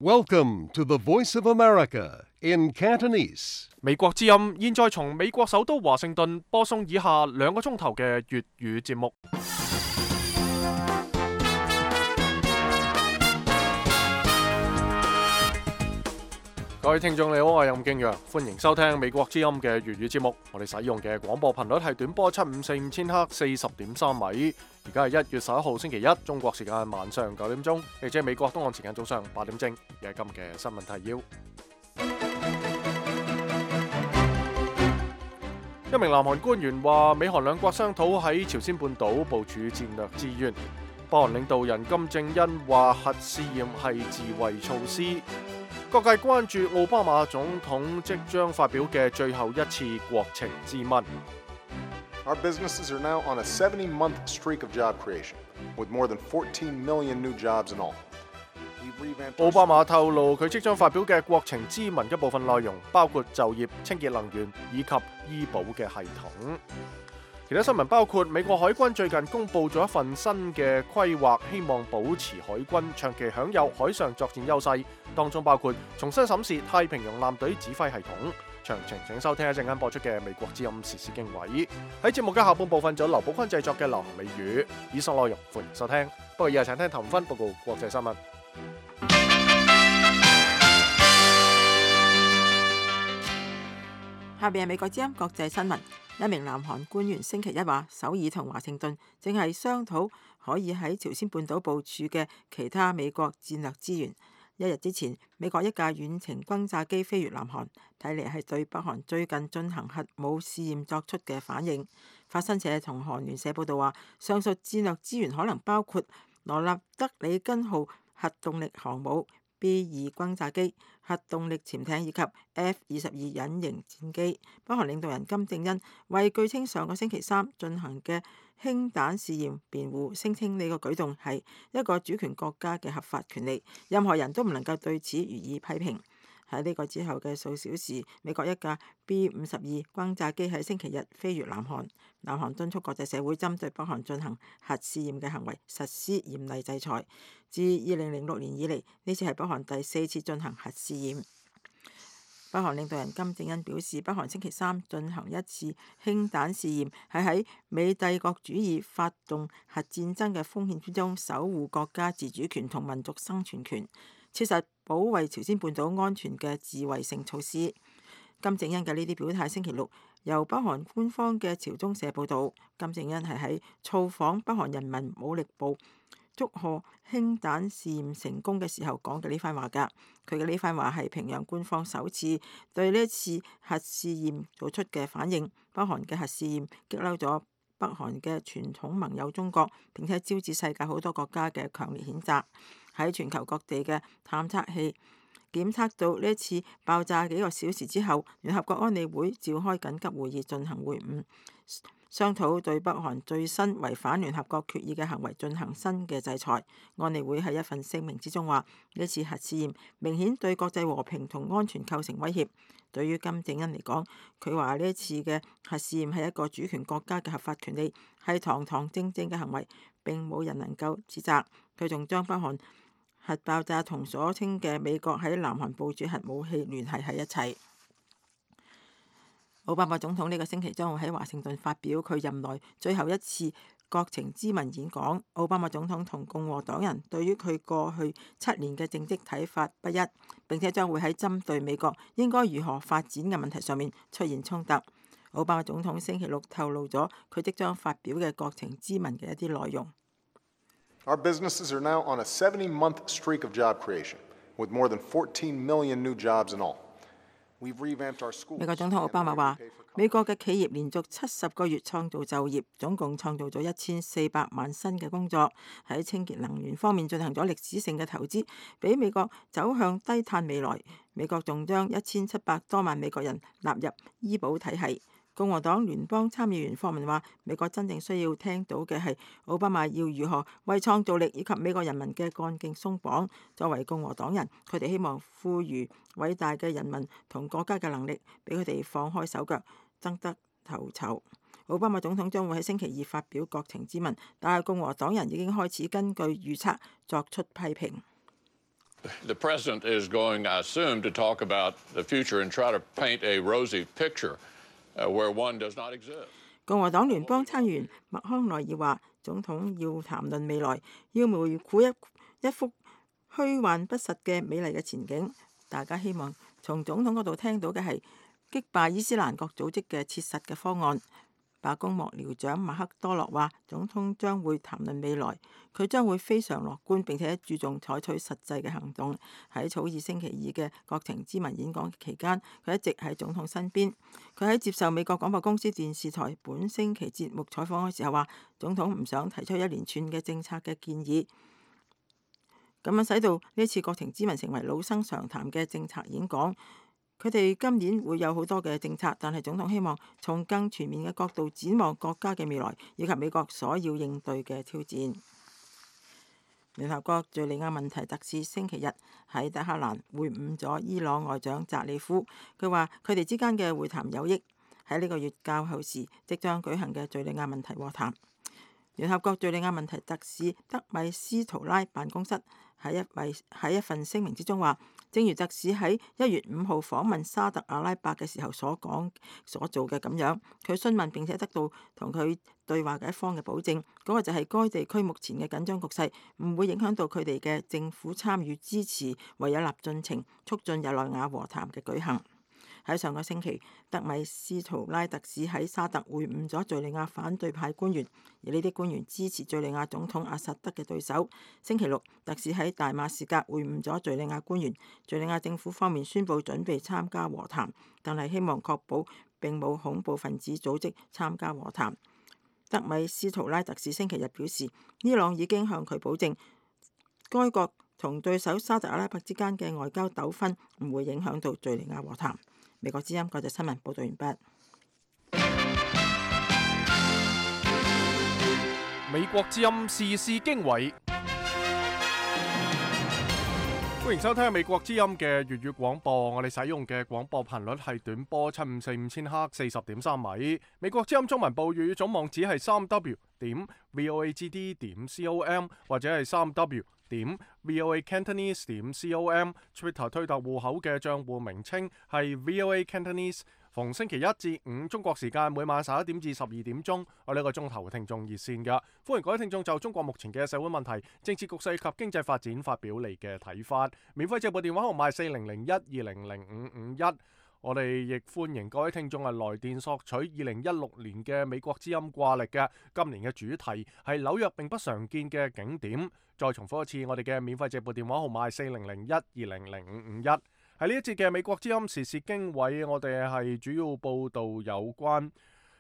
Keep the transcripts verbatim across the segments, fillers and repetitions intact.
Welcome to the Voice of America in Cantonese. 美國之音現在從美國首都華盛頓播送以下兩個鐘頭嘅粵語節目。各位聽眾你好，我係任敬陽，歡迎收聽美國之音嘅粵語節目。我哋使用嘅廣播頻率係短波七五四五千赫四十點三米。而家係一月十一號星期一，中國時間晚上九點鐘，亦即係美國東岸時間早上八點正。而係今日嘅新聞提要：一名南韓官員話，美韓兩國商討喺朝鮮半島部署戰略資源。北韓領導人金正恩話，核試驗係自衛措施。各界關注奧巴馬總統即將發表嘅最後一次國情咨文。Our businesses are now on a seventy-month streak of job creation, with more than fourteen million new jobs in all. 奧巴馬透露佢即將發表嘅國情咨文一部分內容包括就業、清潔能源以及醫保嘅系統。其他新聞包括美國海軍最近公布咗一份新嘅規劃，希望保持海軍長期享有海上作戰優勢，當中包括重新審視太平洋艦隊指揮系統。詳情請收聽一陣間播出嘅美國之音時事經緯。喺節目嘅下半部分就有劉寶坤製作嘅流行美語，以上內容歡迎收聽。不過以下請聽譚芬報告國際新聞。下邊係美國之音國際新聞。一名南韓官員星期一話，首爾同華盛頓正係商討可以喺朝鮮半島部署嘅其他美國戰略資源。一日之前，美國一架遠程轟炸機飛越南韓，睇嚟係對北韓最近進行核武試驗作出嘅反應。法新社同韓聯社報道話，上述戰略資源可能包括羅納德里根號核動力航母、B 二轟炸機、核動力潛艇以及 F 二十二隱形戰機。北韓領導人金正恩為據稱上個星期三進行嘅氫彈試驗辯護，聲稱呢個舉動係一個主權國家嘅合法權利，任何人都唔能夠對此予以批評。喺呢個之後嘅數小時，美國一架 B 五十二轟炸機喺星期日飛越南韓。南韓敦促國際社會針對北韓進行核試驗嘅行為實施嚴厲制裁。自二零零六年以嚟，呢次係北韓第四次進行核試驗。北韓領導人金正恩表示，北韓星期三進行一次氫彈試驗，係喺美帝國主義發動核戰爭嘅風險之中，守護國家自主權同民族生存權，切實保衛朝鮮半島安全嘅自衛性措施。金正恩嘅呢啲表態，星期六由北韓官方嘅朝中社報導。金正恩係喺造訪北韓人民武力部祝賀氫彈試驗成功嘅時候講嘅呢番話㗎。佢嘅呢番話係平壤官方首次對呢一次核試驗做出嘅反應。北韓嘅核試驗激嬲咗北韓嘅傳統盟友中國，並且招致世界好多國家嘅強烈譴責。喺全球各地嘅探測器檢測到呢一次爆炸幾個小時之後，聯合國安理會召開緊急會議進行會晤，商討對北韓最新違反聯合國決議嘅行為進行新嘅制裁。安理會喺一份聲明之中話，呢次核試驗明顯對國際和平同安全構成威脅。對於金正恩嚟講，佢話呢一次嘅核試驗係一個主權國家嘅合法權利，係堂堂正正嘅行為，並冇人能夠指責。佢仲將北韓核爆炸同所稱嘅美國喺南韓部署核武器聯繫喺一齊。奧巴馬總統呢個星期將會喺華盛頓發表佢任內最後一次國情咨文演講。奧巴馬總統同共和黨人對於佢過去七年嘅政績睇法不一，並且將會喺針對美國應該如何發展嘅問題上面出現衝突。奧巴馬總統星期六透露咗佢即將發表嘅國情咨文嘅一啲內容。Our businesses are now on a seventy-month streak of job creation, with more than fourteen million new jobs in all. 美國總統奧巴馬話，美國嘅企業連續七十個月創造就業，總共創造咗一千四百萬新嘅工作。喺清潔能源方面進行咗歷史性嘅投資，俾美國走向低碳未來。美國仲將一千七百多萬美國人納入醫保體系。共和黨聯邦參議員霍文話，美國真正需要聽到嘅係奧巴馬要如何為創造力以及美國人民嘅幹勁鬆綁。作為共和黨人，佢哋希望賦予偉大嘅人民同國家嘅能力，俾佢哋放開手腳，爭得頭籌。奧巴馬總統將會喺星期二發表國情咨文，但係共和黨人已經開始根據預測作出批評。The president is going, I assume, to talk about the future and try to paint a rosy picture where one does not exist. 共和黨聯邦參議員麥康奈爾話：總統要談論未來，要描繪一一幅虛幻不實嘅美麗嘅前景。大家希望從總統嗰度聽到嘅係擊敗伊斯蘭國組織嘅切實嘅方案。白宮幕僚長馬克多洛話：總統將會談論未來，佢將會非常樂觀並且注重採取實際嘅行動。喺草擬星期二嘅國情咨文演講期間，佢一直喺總統身邊。佢喺接受美國廣播公司電視台本星期節目採訪嘅時候話：總統唔想提出一連串嘅政策嘅建議，咁樣使到呢次國情咨文成為老生常談嘅政策演講。佢哋今年會有好多嘅政策，但係總統希望從更全面嘅角度展望國家嘅未來，以及美國所要應對嘅挑戰。聯合國敍利亞問題特使星期日喺德黑蘭會晤咗伊朗外長扎里夫，佢話佢哋之間嘅會談有益。喺呢個月較後時即將舉行嘅敍利亞問題和談。聯合國敍利亞問題特使德米斯圖拉辦公室喺一位喺一份聲明之中話，正如特使喺一月五號訪問沙特阿拉伯嘅時候所講所做嘅咁樣，佢詢問並且得到同佢對話嘅一方嘅保證，嗰、那個就係該地區目前嘅緊張局勢唔會影響到佢哋嘅政府參與支持維也納進程，促進日內瓦和談嘅舉行。喺上個星期，德米斯圖拉特使喺沙特會晤咗敍利亞反對派官員，而呢啲官員支持敍利亞總統阿薩德嘅對手。星期六，特使喺大馬士革會晤咗敍利亞官員，敍利亞政府方面宣布準備參加和談，但係希望確保並冇恐怖分子組織參加和談。德米斯圖拉特使星期日表示，伊朗已經向佢保證，該國同對手沙特阿拉伯之間嘅外交糾紛唔會影響到敍利亞和談。美國之音國際新聞報道完畢。美國之音時事經緯，歡迎收聽美國之音嘅粵語廣播。我哋使用嘅廣播頻率係短波七五四五千赫，四十點三米。美國之音中文部粵語總網址係三 w 點 voagd 點 com 或者係三 w點 voa Cantonese 點 com。Twitter 推特戶口嘅賬戶名稱係 voa Cantonese。逢星期一至五中國時間每晚十一點至十二點鐘，我呢個鐘頭聽眾熱線㗎，歡迎各位聽眾就中國目前嘅社會問題、政治局勢及經濟發展發表你嘅睇法。免費借撥電話號碼四零零一二零零五五一。我哋亦歡迎各位聽眾係來電索取二零一六年嘅美國之音掛曆嘅。今年嘅主題係紐約並不常見嘅景點。再重複一次，我哋嘅免費借撥電話號碼係四零零一二零零五五一。喺呢一節嘅美國之音時事經緯，我哋係主要報導有關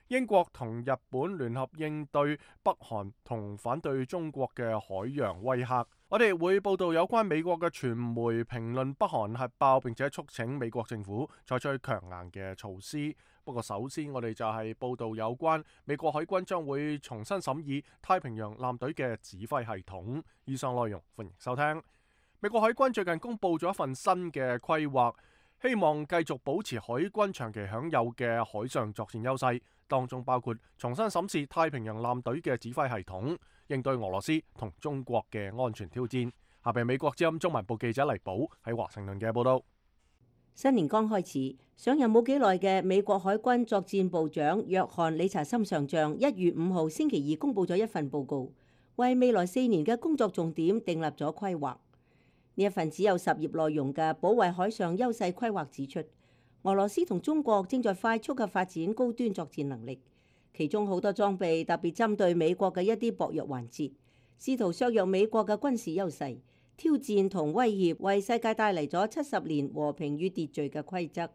英國同日本聯合應對北韓同反對中國嘅海洋威嚇。我哋會報導有關美國嘅傳媒評論北韓核爆，並且促請美國政府採取強硬嘅措施。不過首先我哋就係報導有關美國海軍將會重新審議太平洋艦隊嘅指揮系統。以上內容歡迎收聽。美國海軍最近公布咗一份新嘅規劃，希望繼續保持海軍長期享有嘅海上作戰優勢，當中包括重新審視太平洋艦隊嘅指揮系統，應對俄羅斯同中國嘅安全挑戰。下邊美國之音中文部記者黎寶喺華盛頓嘅報道。新年剛開始，上任冇幾耐嘅美國海軍作戰部長約翰理查森上將一月五號星期二公布咗一份報告，為未來四年嘅工作重點訂立咗規劃。呢一份只有十頁內容嘅保衛海上優勢規劃指出，俄羅斯同中國正在快速嘅發展高端作戰能力，其中好多裝備特別針對美國嘅一啲薄弱環節，試圖削弱美國嘅軍事優勢，挑戰同威脅為世界帶嚟咗七十年和平與秩序嘅規則。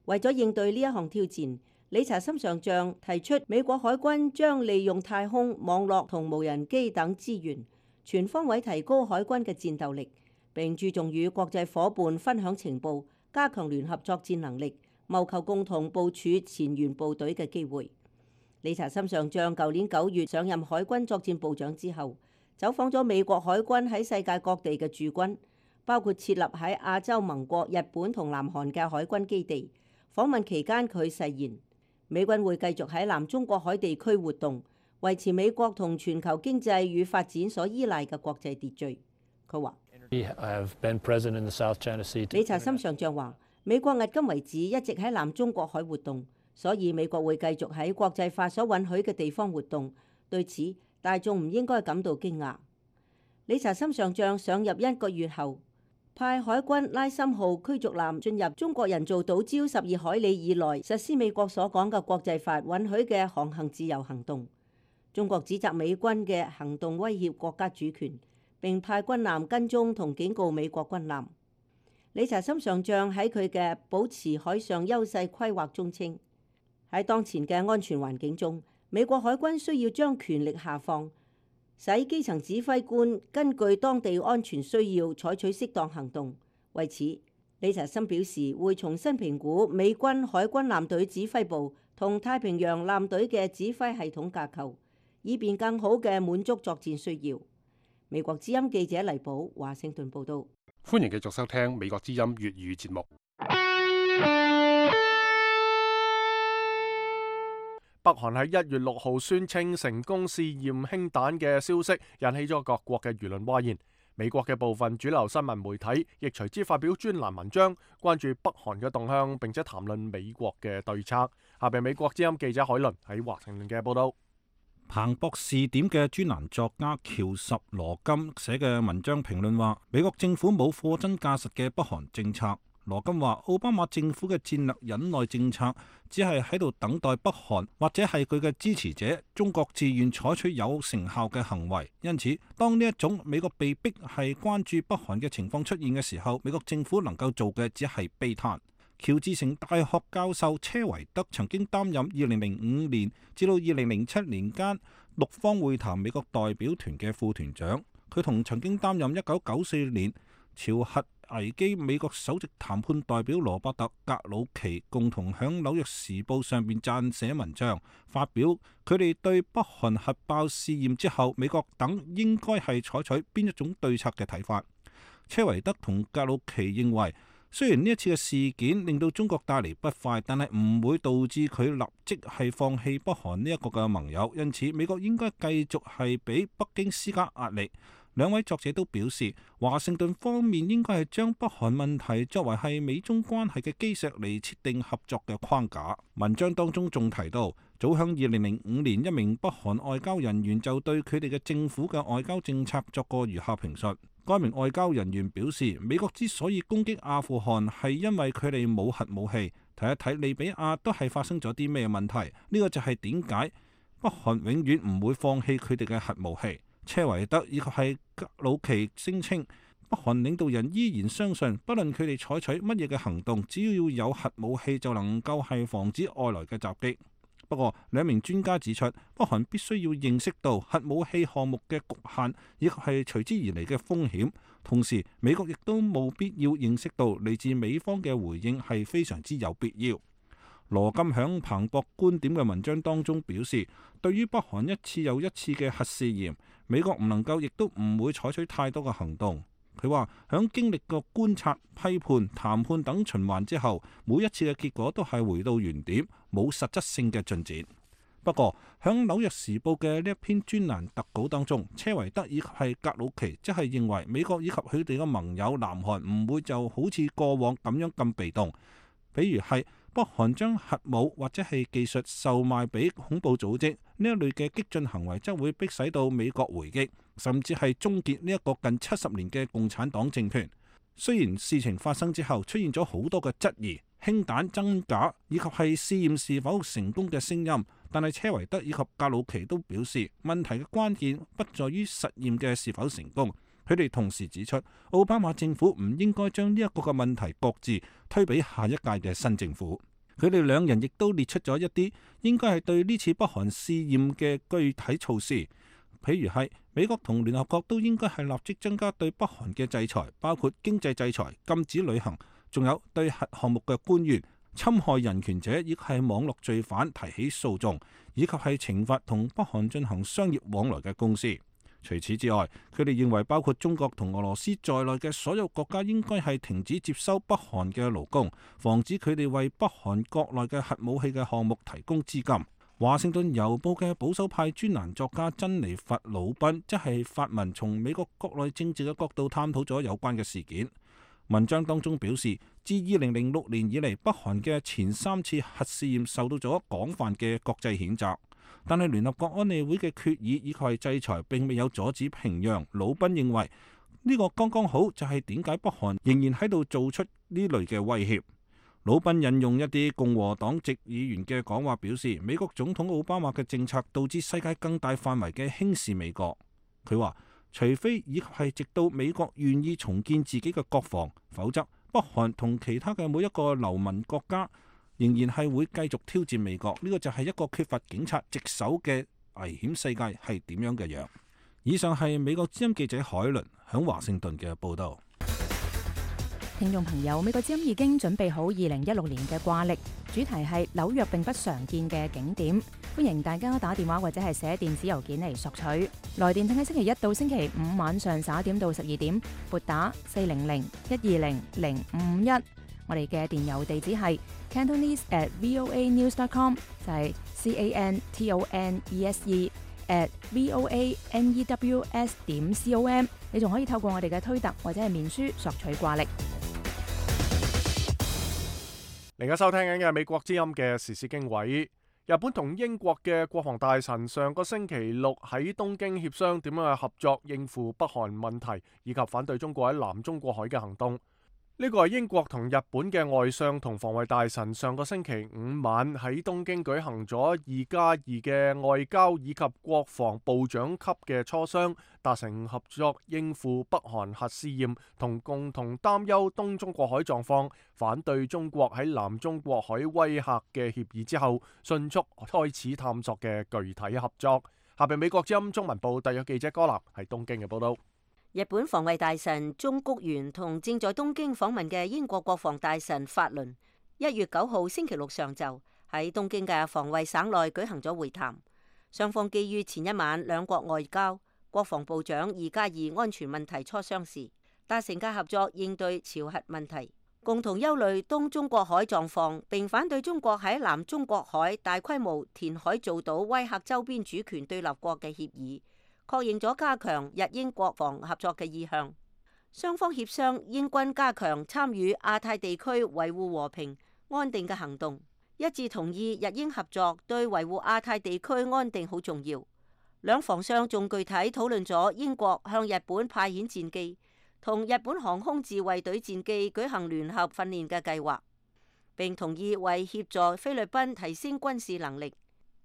為咗應對呢一項挑戰，理查森上將提出美國海軍將利用太空、網絡同無人機等資源，全方位提高海軍嘅戰鬥力，並注重與國際夥伴分享情報，加強聯合作戰能力，謀求共同部署前沿部隊嘅機會。理查森上將舊年九月上任海軍作戰部長之後，走訪咗美國海軍喺世界各地嘅駐軍，包括設立喺亞洲盟國日本同南韓嘅海軍基地。訪問期間，佢誓言美軍會繼續喺南中國海地區活動，維持美國同全球經濟與發展所依賴嘅國際秩序。佢話理查森上將話：美國迄今為止一直喺南中國海活動，所以美國會繼續喺國際法所允許嘅地方活動。對此，大眾唔應該感到驚訝。理查森上將上任一個月後，派海軍拉森號驅逐艦進入中國人造島礁十二海里以內，實施美國所講嘅國際法允許嘅航行自由行動。中國指責美軍嘅行動威脅國家主權，並派軍艦跟蹤同警告美國軍艦。理查森上將喺佢嘅保持海上優勢規劃中稱，喺當前嘅安全環境中，美國海軍需要將權力下放，使基層指揮官根據當地安全需要採取適當行動。為此，理查森表示會重新評估美軍海軍艦隊指揮部同太平洋艦隊嘅指揮系統架構，以便更好嘅滿足作戰需要。美國之音記者黎寶華盛頓報道。歡迎繼續收聽美國之音粵語節目。北韓喺一月六號宣稱成功試驗氫彈嘅消息，引起咗各國嘅輿論譁然。美國嘅部分主流新聞媒體亦隨之發表專欄文章，關注北韓嘅動向，並且談論美國嘅對策。下邊美國之音記者海倫喺華盛頓嘅報道。彭博視點嘅專欄作家喬什羅金寫嘅文章評論話，美國政府冇貨真價實嘅北韓政策。羅金話，奧巴馬政府嘅戰略忍耐政策只係喺度等待北韓或者係佢嘅支持者中國自願採取有成效嘅行為。因此，當呢一種美國被逼係關注北韓嘅情況出現嘅時候，美國政府能夠做嘅只係悲嘆。喬治城大學教授車維德曾經擔任二零零五年至到二零零七年間六方會談美國代表團嘅副團長，佢同曾經擔任一九九四年朝核危機美國首席談判代表羅伯特·格魯奇共同響《紐約時報》上邊撰寫文章，發表佢哋對北韓核爆試驗之後美國等應該係採取邊一種對策嘅睇法。車維德同格魯奇認為，雖然呢一次嘅事件令到中國帶嚟不快，但係唔會導致佢立即係放棄北韓呢一個嘅盟友，因此美國應該繼續係俾北京施加壓力。兩位作者都表示，華盛頓方面應該係將北韓問題作為係美中關係嘅基石嚟設定合作嘅框架。文章當中仲提到，早響二零零五年，一名北韓外交人員就對佢哋嘅政府嘅外交政策作過如下評述。該名外交人員表示，美國之所以攻擊阿富汗係因為佢哋冇核武器。睇一睇利比亞都係發生咗啲咩問題，呢個就係點解北韓永遠唔會放棄佢哋嘅核武器。車維德以及係格魯奇聲稱，北韓領導人依然相信，不論佢哋採取乜嘢嘅行動，只要有核武器就能夠係防止外來嘅襲擊。不過，兩名專家指出，北韓必須要認識到核武器項目嘅局限，以及係隨之而嚟嘅風險。同時，美國亦都冇必要認識到嚟自美方嘅回應係非常之有必要。羅金響彭博觀點嘅文章當中表示，對於北韓一次又一次嘅核試驗，美國唔能夠亦都唔會採取太多嘅行動。佢話響經歷過觀察、批判、談判等循環之後，每一次嘅結果都係回到原點，冇實質性嘅進展。不過響紐約時報嘅呢一篇專欄特稿當中，車維德以及係格魯奇即係認為美國以及佢哋嘅盟友南韓唔會就好似過往咁樣咁被動，比如係北韓將核武或者係技術售賣俾恐怖組織呢一類嘅激進行為，則會迫使到美國回擊，甚至係終結呢一個近七十年嘅共產黨政權。雖然事情發生之後出現咗好多嘅質疑、氫彈真假以及係試驗是否成功嘅聲音，但係車維德以及格魯奇都表示，問題嘅關鍵不在於實驗嘅是否成功。佢哋同時指出，奧巴馬政府唔應該將呢一個嘅問題擱置，推俾下一屆嘅新政府。佢哋兩人亦都列出咗一啲應該係對呢次北韓試驗嘅具體措施，譬如係美國同聯合國都應該係立即增加對北韓嘅制裁，包括經濟制裁、禁止旅行，仲有對核項目嘅官員、侵害人權者以及係網絡罪犯提起訴訟，以及係懲罰同北韓進行商業往來嘅公司。除此之外，佢哋認為包括中國同俄羅斯在內嘅所有國家應該係停止接收北韓嘅勞工，防止佢哋為北韓國內嘅核武器嘅項目提供資金。華盛頓郵報嘅保守派專欄作家珍妮佛·魯賓即係發文從美國國內政治嘅角度探討咗有關嘅事件。文章當中表示，自二零零六年以嚟，北韓嘅前三次核試驗受到咗廣泛嘅國際譴責，但係聯合國安理會嘅決議以及係制裁並未有阻止平壤。魯賓認為呢個剛剛好就係點解北韓仍然喺度做出呢類嘅威脅。魯賓引用一啲共和黨籍議員嘅講話表示，美國總統奧巴馬嘅政策導致世界更大範圍嘅輕視美國。佢話，除非以及係直到美國願意重建自己嘅國防，否則北韓同其他嘅每一個流民國家仍然係會繼續挑戰美國。呢個就係一個缺乏警察職守嘅危險世界係點樣嘅樣。以上係美國之音記者海倫響華盛頓嘅報道。聽眾朋友，美國之音已經準備好二零一六年嘅掛曆，主題係紐約並不常見嘅景點，歡迎大家打電話或者係寫電子郵件嚟索取。來電請喺星期一到星期五晚上十一點到十二點撥打四零零一二零零五五一。我哋嘅電郵地址係 cantonese at voa news dot com， 就係 c a n t o n e s e at voa news 點 com。你仲可以透過我哋嘅推特或者係面書索取掛曆。而家收聽緊嘅美國之音嘅時事經緯，日本同英國嘅國防大臣上個星期六喺東京協商點樣去合作應付北韓問題，以及反對中國喺南中國海嘅行動。呢個係英國同日本嘅外相同防衛大臣上個星期五晚喺東京舉行咗二加二嘅外交以及國防部長級嘅磋商，達成合作應付北韓核試驗同共同擔憂東中國海狀況，反對中國喺南中國海威嚇嘅協議之後，迅速開始探索嘅具體合作。下邊美國之音中文部特約記者柯立喺東京嘅報道。日本防衛大臣中谷元同正在東京訪問嘅英國國防大臣法倫，一月九號星期六上晝喺東京嘅防衛省內舉行咗會談。雙方基於前一晚兩國外交、國防部長二加二安全問題磋商時，達成嘅合作應對朝核問題，共同憂慮東中國海狀況，並反對中國喺南中國海大規模填海造島威嚇周邊主權對立國嘅協議，確認咗加強日英國防合作嘅意向。雙方協商英軍加強參與亞太地區維護和平安定嘅行動，一致同意日英合作對維護亞太地區安定好重要。兩防相仲具體討論咗英國向日本派遣戰機同日本航空自衛隊戰機舉行聯合訓練嘅計劃，並同意為協助菲律賓提升軍事能力，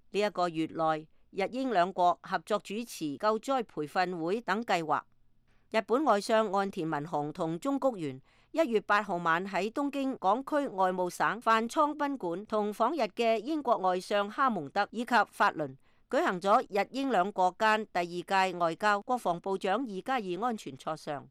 呢一個月內日英兩國合作主持救災培訓會等計劃。日本外相岸田文雄同中谷元一月八號晚喺東京港區外務省飯倉賓館同訪日嘅英國外相哈蒙德以及法倫舉行咗日英兩國間第二屆外交國防部長二加二安全磋商。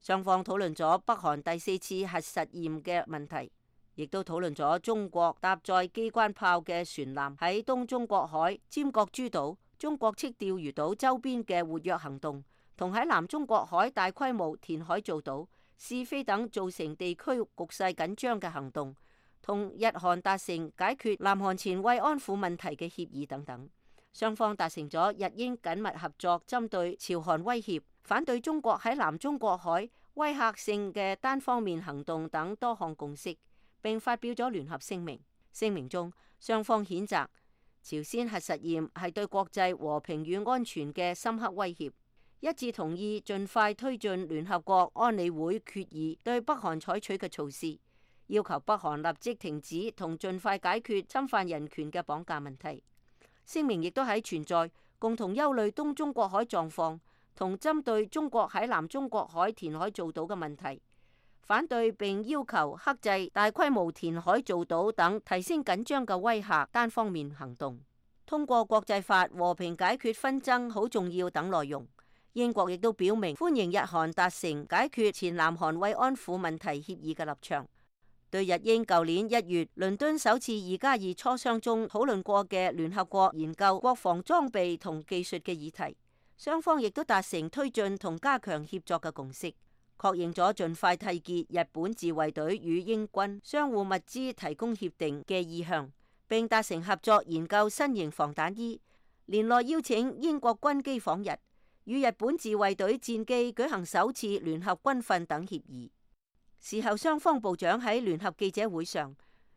雙方討論咗北韓第四次核實驗嘅問題，亦都討論咗中國搭載機關炮嘅船艦喺東中國海、尖閣諸島、中國斥釣魚島周邊嘅活躍行動，同喺南中國海大規模填海造島、試飛等造成地區局勢緊張嘅行動，同日韓達成解決南韓前慰安婦問題嘅協議等等。雙方達成咗日英緊密合作，針對朝韓威脅、反對中國喺南中國海威嚇性嘅單方面行動等多項共識，並發表咗聯合聲明。聲明中，雙方譴責朝鮮核實驗係對國際和平與安全嘅深刻威脅，一致同意盡快推進聯合國安理會決議對北韓採取嘅措施，要求北韓立即停止同盡快解決侵犯人權嘅綁架問題。聲明亦都喺存在共同憂慮東中國海狀況同針對中國喺南中國海填海造島嘅問題，反對並要求克制大規模填海造島等提升緊張嘅威嚇單方面行動，通過國際法和平解決紛爭好重要等內容。英國亦都表明歡迎日韓達成解決前南韓慰安婦問題協議嘅立場。對日英舊年一月倫敦首次二加二磋商中討論過嘅聯合國研究國防裝備同技術嘅議題，雙方亦都達成推進同加強協作嘅共識，確認咗盡快締結日本自衛隊與英軍相互物資提供協定嘅意向，並達成合作研究新型防彈衣，年內邀請英國軍機訪日，與日本自衛隊戰機舉行首次聯合軍訓等協議。事後雙方部長喺聯合記者會上，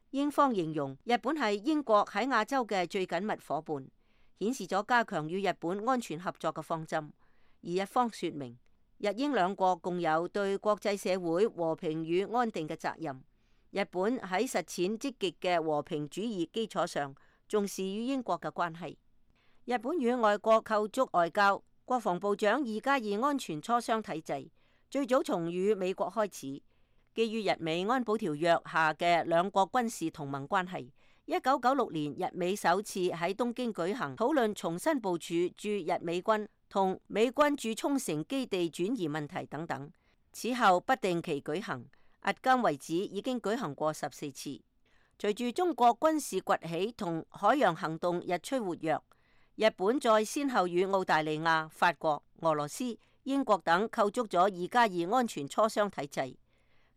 英方形容日本係英國喺亞洲嘅最緊密夥伴，顯示咗加強與日本安全合作嘅方針。而日方說明，日英兩國共有對國際社會和平與安定嘅責任。日本喺實踐積極嘅和平主義基礎上，重視與英國嘅關係。日本與外國構築外交，國防部長二加二安全磋商體制，最早從與美國開始。基於日美安保條約下嘅兩國軍事同盟關係，一九九六年日美首次喺東京舉行討論重新部署駐日美軍同美軍駐沖繩基地轉移問題等等。此後不定期舉行，迄今為止已經舉行過十四次。隨住中國軍事崛起同海洋行動日趨活躍，日本再先後與澳大利亞、法國、俄羅斯、英國等構築咗二加二安全磋商體制。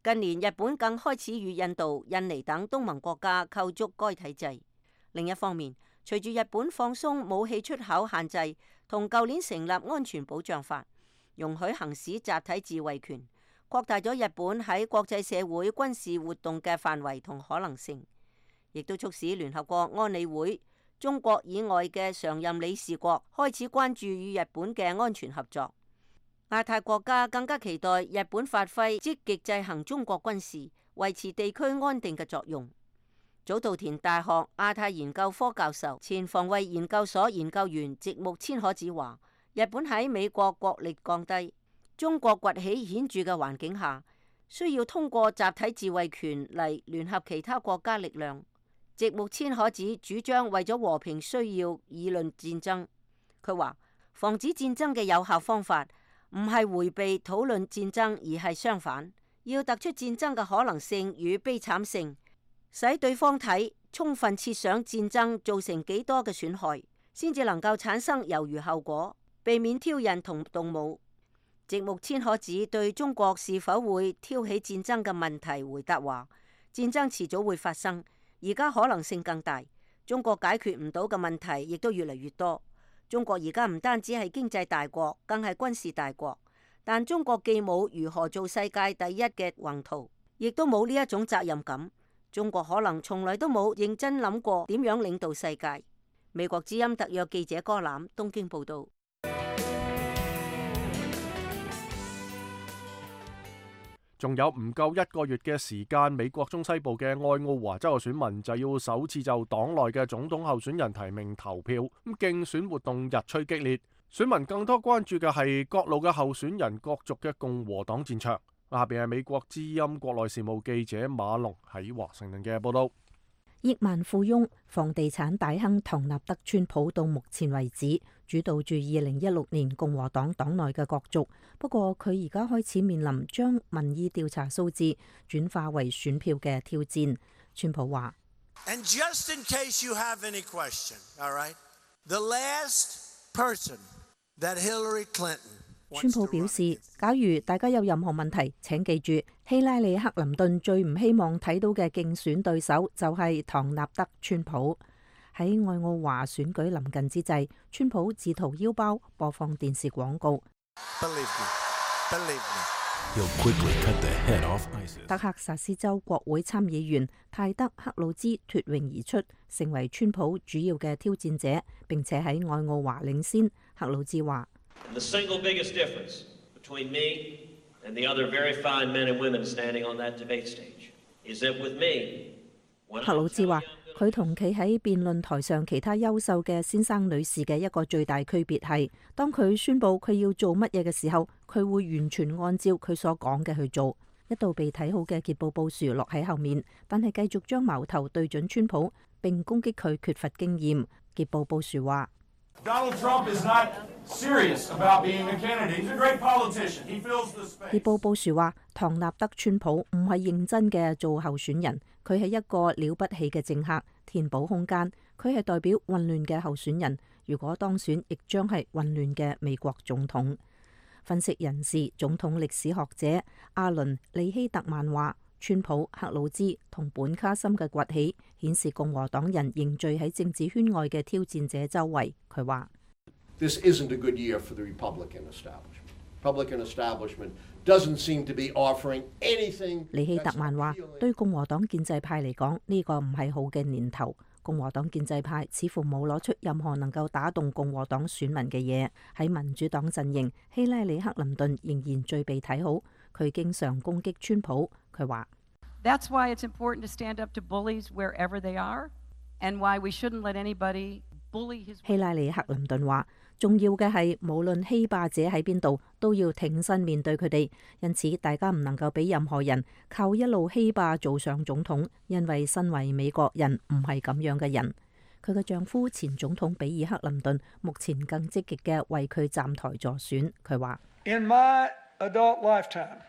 近年日本更開始與印度、印尼等東盟國家構築該體制。另一方面，隨住日本放鬆武器出口限制，同舊年成立安全保障法，容許行使集體自衛權，擴大咗日本喺國際社會軍事活動嘅範圍同可能性，亦都促使聯合國安理會中國以外嘅常任理事國開始關注與日本嘅安全合作。亞太國家更加期待日本發揮積極制衡中國軍事，維持地區安定嘅作用。早稻田大學亞太研究科教授、前防衛研究所研究員植木千可子話：日本喺美國國力降低、中國崛起顯著嘅環境下，需要通過集體自衛權嚟聯合其他國家力量。植木千可子主張為咗和平需要議論戰爭。佢話：防止戰爭嘅有效方法唔係迴避討論戰爭，而係相反，要突出戰爭嘅可能性與悲慘性，使對方睇，充分設想戰爭造成幾多嘅損害，先至能夠產生猶豫後果，避免挑釁同動武。植木千可子對中國是否會挑起戰爭嘅問題回答話：戰爭遲早會發生，而家可能性更大，中國解決唔到嘅問題亦都越嚟越多。中國而家唔單止係經濟大國，更係軍事大國。但中國既冇如何做世界第一嘅宏圖，亦都冇呢一種責任感。中國可能從來都冇認真諗過點樣領導世界。美國之音特約記者柯攬東京報道。仲有唔夠一個月嘅時間，美國中西部嘅愛奧華州嘅選民就要首次就黨內嘅總統候選人提名投票。咁競選活動日趨激烈，選民更多關注嘅係各路嘅候選人角逐嘅共和黨戰場。下邊係美國之音國內事務記者馬龍喺華盛頓嘅報道。億萬富翁、房地產大亨唐納德川普到目前為止主導住二零一六年共和黨黨內嘅角逐，不過佢而家開始面臨將民意調查數字轉化為選票嘅挑戰。川普話：And just in case you have any question, all right, the last person that Hillary Clinton 川普表示，假如大家有任何問題，請記住，希拉里克林頓最唔希望睇到嘅競選對手就係唐納德川普。喺愛奧華選舉臨近之際，川普自掏腰包播放電視廣告。Believe me, believe me. 德克薩斯州國會參議員泰德克魯茲脫穎而出，成為川普主要嘅挑戰者，並且喺愛奧華領先。克魯茲話：The single biggest difference between me and the other very fine men and women standing on that debate stage is that with me, 克魯茲話：佢同企喺辯論台上其他優秀嘅先生女士嘅一個最大區別係，當佢宣佈佢要做乜嘢嘅時候，佢會完全按照佢所講嘅去做。一度被睇好嘅傑布布殊落喺後面，但係繼續將矛頭對準川普，並攻擊佢缺乏經驗。傑布布殊話：Donald Trump is not serious about being a candidate. He's a great politician. He fills the space. 傑布布殊話：唐納德川普唔係認真嘅做候選人，佢係一個了不起嘅政客，填補空間。佢係代表混亂嘅候選人，如果當選，亦將係混亂嘅美國總統。分析人士、總統歷史學者阿倫利希特曼話：川普、克魯茲同本卡森嘅崛起，顯示共和黨人凝聚喺政治圈外嘅挑戰者周圍。佢話：This isn't a good year for the Republican establishment. Republican establishment doesn't seem to be offering anything. 李希特曼話：對共和黨建制派嚟講，呢個唔係好嘅年頭。共和黨建制派似乎冇攞出任何能夠打動共和黨選民嘅嘢。喺民主黨陣營，希拉里·克林頓仍然最被睇好。佢經常攻擊川普。佢話：That's why it's important to stand up to bullies wherever they are, and why we shouldn't let anybody bully his. 希拉里·克林頓話：重要嘅係無論欺霸者喺邊度，都要挺身面對佢哋。因此，大家唔能夠俾任何人靠一路欺霸做上總統，因為身為美國人唔係咁樣嘅人。佢嘅丈夫前總統比爾·克林頓目前更積極嘅為佢站台助選。佢話：In my adult lifetime,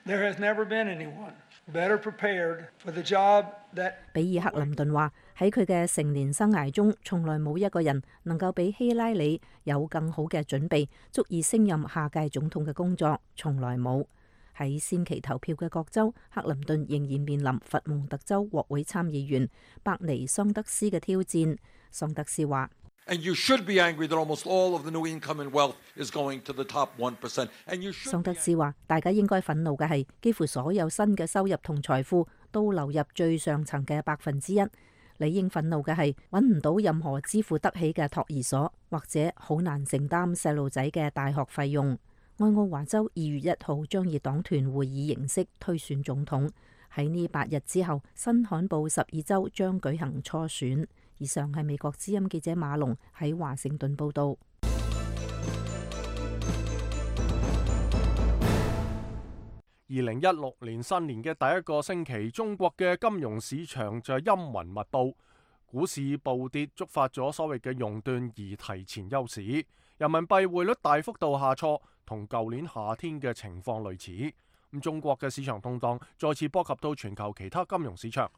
there has never been anyone better prepared for the job that. 比爾·克林頓話：喺佢嘅成年生涯中，從來冇一個人能夠比希拉里有更好嘅準備，足以升任下屆總統嘅工作，從來冇。喺先期投票嘅各州，克林頓仍然面臨佛蒙特州國會參議員伯尼桑德斯嘅挑戰。桑德斯話：And you should be angry that almost all of the new income and wealth is going to the top one percent. And you should. 桑德斯話：大家應該憤怒嘅係，幾乎所有新嘅收入同財富都流入最上層嘅百分之一。理應憤怒嘅係揾唔到任何支付得起嘅托兒所，或者好難承擔細路仔嘅大學費用。愛奧華州二月一號將以黨團會議形式推選總統。喺呢八日之後，新罕布什爾州將舉行初選。以上係美國之音記者馬龍喺華盛頓報道。二零一六年新年嘅第一個星期，中國嘅金融市場就陰雲密布，股市暴跌，觸發咗所謂嘅熔斷而提前休市。人民幣匯率大幅度下挫，同舊年夏天嘅情況類似。咁中國嘅市場動盪再次波及到全球其他金融市場。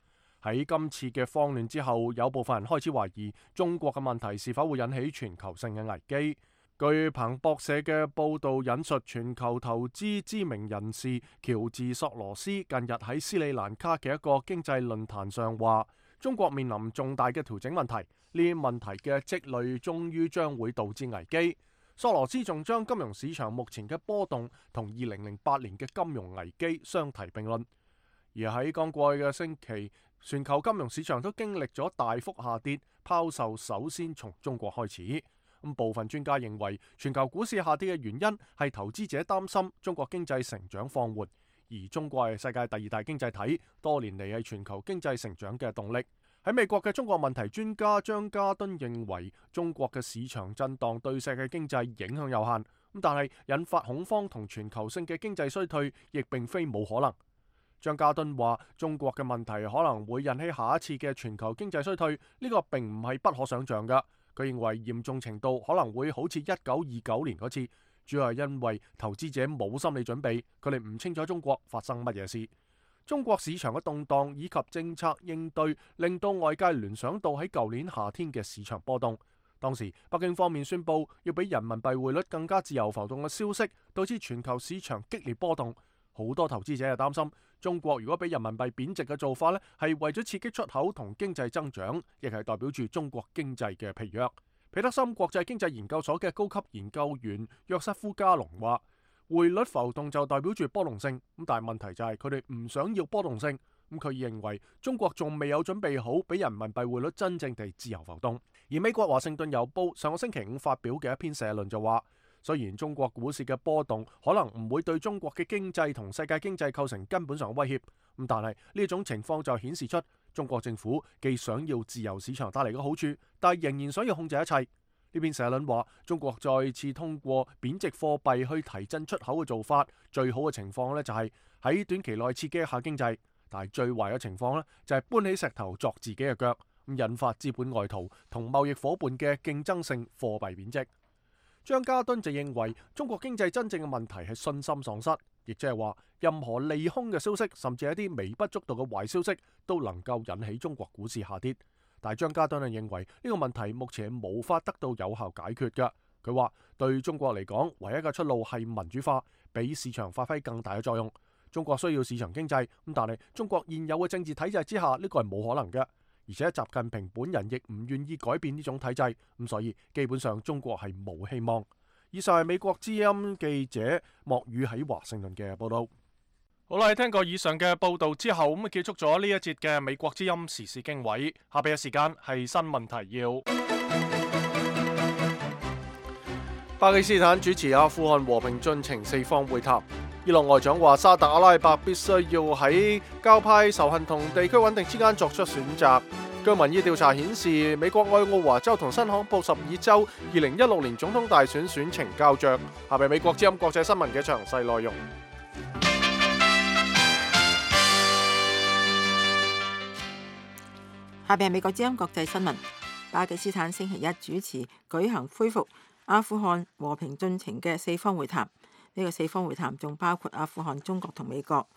喺今次嘅慌亂之後，有部分人開始懷疑中國嘅問題是否會引起全球性嘅危機。據彭博社嘅報道引述全球投資知名人士喬治索羅斯近日喺斯里蘭卡嘅一個經濟論壇上話，中國面臨重大嘅調整問題，呢啲問題嘅積累終於將會導致危機。索羅斯仲將金融市場目前嘅波動同二零零八年嘅金融危機相提並論。而喺剛過去嘅星期，全球金融市場都經歷咗大幅下跌，拋售首先從中國開始。咁部分專家認為，全球股市下跌嘅原因係投資者擔心中國經濟成長放緩，而中國係世界第二大經濟體，多年嚟係全球經濟成長嘅動力。喺美國嘅中國問題專家張家敦認為，中國嘅市場震盪對世界經濟影響有限，咁但係引發恐慌同全球性嘅經濟衰退，亦並非冇可能。張家敦話：中國嘅問題可能會引起下一次嘅全球經濟衰退，呢個並唔係不可想像㗎。佢認為嚴重程度可能會好似一九二九年嗰次，主要係因為投資者冇心理準備，佢哋唔清楚中國發生乜嘢事。中國市場嘅動盪以及政策應對，令到外界聯想到喺舊年夏天嘅市場波動。當時北京方面宣布要比人民幣匯率更加自由浮動嘅消息，導致全球市場激烈波動。好多投資者係擔心，中國如果俾人民幣貶值嘅做法呢，係為咗刺激出口同經濟增長，亦係代表住中國經濟嘅疲弱。彼得森國際經濟研究所嘅高級研究員約瑟夫加隆話：匯率浮動就代表住波動性，咁但係問題就係佢哋唔想要波動性。咁佢認為中國仲未有準備好俾人民幣匯率真正地自由浮動。而美國華盛頓郵報上個星期五發表嘅一篇社論就話，雖然中國股市嘅波動可能唔會對中國嘅經濟同世界經濟構成根本上威脅，咁但係呢種情況就顯示出中國政府既想要自由市場帶嚟嘅好處，但係仍然想要控制一切。呢篇社論話，中國再次通過貶值貨幣去提振出口嘅做法，最好嘅情況呢就係喺短期內刺激一下經濟，但係最壞嘅情況呢就係搬起石頭鑿自己嘅腳，咁引發資本外逃同貿易夥伴嘅競爭性貨幣貶值。張家敦就認為，中國經濟真正嘅問題係信心喪失，亦即係話任何利空嘅消息，甚至係一啲微不足道嘅壞消息，都能夠引起中國股市下跌。但係張家敦就認為呢個問題目前係無法得到有效解決嘅。佢話對中國嚟講，唯一嘅出路係民主化，俾市場發揮更大嘅作用。中國需要市場經濟，咁但係中國現有嘅政治體制之下，呢個係冇可能嘅。而且習近平本人亦唔願意改變呢種體制，咁所以基本上中國係冇希望。以上係美國之音記者莫宇喺華盛頓嘅報道。好啦，聽過以上嘅報道之後，咁結束咗呢一節嘅美國之音時事經緯。下邊嘅時間係新聞提要。巴基斯坦主持阿富汗和平進程四方會談。伊朗外長話沙特阿拉伯必須要喺教派仇恨同地區穩定之間作出選擇。據民意調查顯示，美國愛奧華州同新罕布什爾州二零一六年總統大選選情膠着。下邊美國之音國際新聞嘅詳細內容。下邊係美國之音國際新聞。巴基斯坦星期一主持舉行恢復阿富汗和平進程嘅四方會談。呢個四方會談仲包括阿富汗、中國同美國。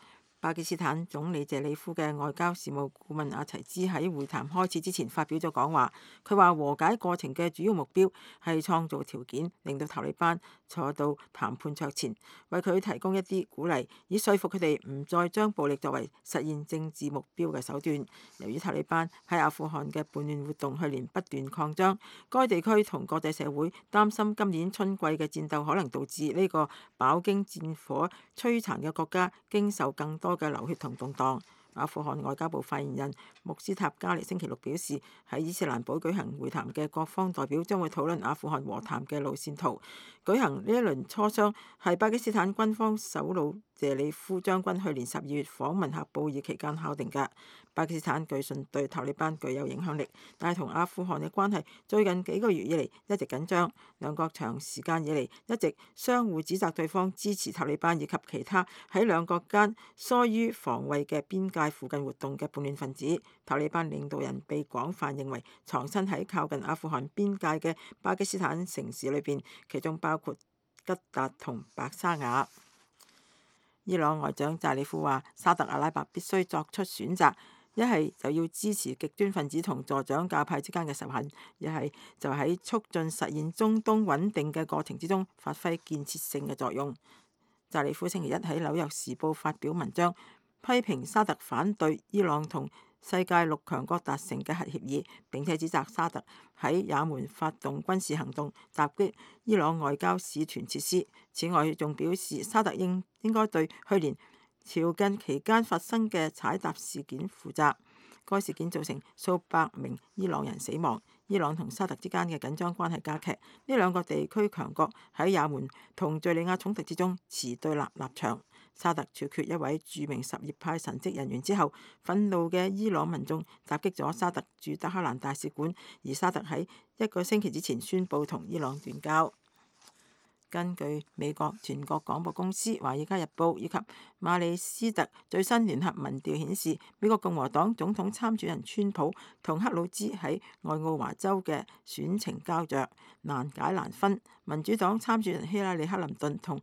巴基斯坦總理謝里夫嘅外交事務顧問阿齊茲喺會談開始之前發表咗講話，佢話和解過程嘅主要目標係創造條件，令到塔利班坐到談判桌前，為佢提供一啲鼓勵，以說服佢哋唔再將暴力作為實現政治目標嘅手段。由於塔利班喺阿富汗嘅叛亂活動去年不斷擴張，該地區同國際社會擔心今年春季嘅戰鬥可能導致呢個飽經戰火摧殘嘅國家經受更多嘅流血同動盪。阿富汗外交部發言人穆斯塔加尼星期六表示，喺伊斯蘭堡舉行會談嘅各方代表將會討論阿富汗和談嘅路線圖。舉行呢一輪磋商係巴基斯坦軍方首腦謝里夫將軍去年十二月訪問喀布爾期間敲定嘅。巴基斯坦據信對塔利班具有影響力，但係同阿富汗嘅關係最近幾個月以嚟一直緊張，兩國長時間以嚟一直相互指責對方支持塔利班以及其他喺兩國間疏於防衛嘅邊界附近活動嘅叛亂分子。塔利班領導人被廣泛認為藏身喺靠近阿富汗邊界嘅巴基斯坦城市裏邊，其中包括吉達同白沙瓦。伊朗外長扎里夫話，沙特阿拉伯必須作出選擇，一係就要支持極端分子同助長教派之間嘅仇恨，一係就喺促進實現中東穩定嘅過程之中發揮建設性嘅作用。扎里夫星期一喺紐約時報發表文章，批評沙特反對伊朗同世界六強國達成嘅核協議，並且指責沙特喺也門發動軍事行動，襲擊伊朗外交使團設施。此外，仲表示沙特應應該對去年朝覲期間發生嘅踩踏事件負責。該事件造成數百名伊朗人死亡。伊朗同沙特之間嘅緊張關係加劇，呢兩個地區強國喺也門同敘利亞衝突之中持對立立場。沙特處決一位著名什葉派神職人員之後，憤怒嘅伊朗民眾襲擊咗沙特駐德黑蘭大使館，而沙特喺一個星期之前宣布同伊朗斷交。根據美國全國廣播公司、華爾街日報以及馬里斯特最新聯合民調顯示，美國共和黨總統參選人川普同克魯茲喺愛奧華州嘅選情膠着，難解難分。民主黨參選人希拉里克林頓同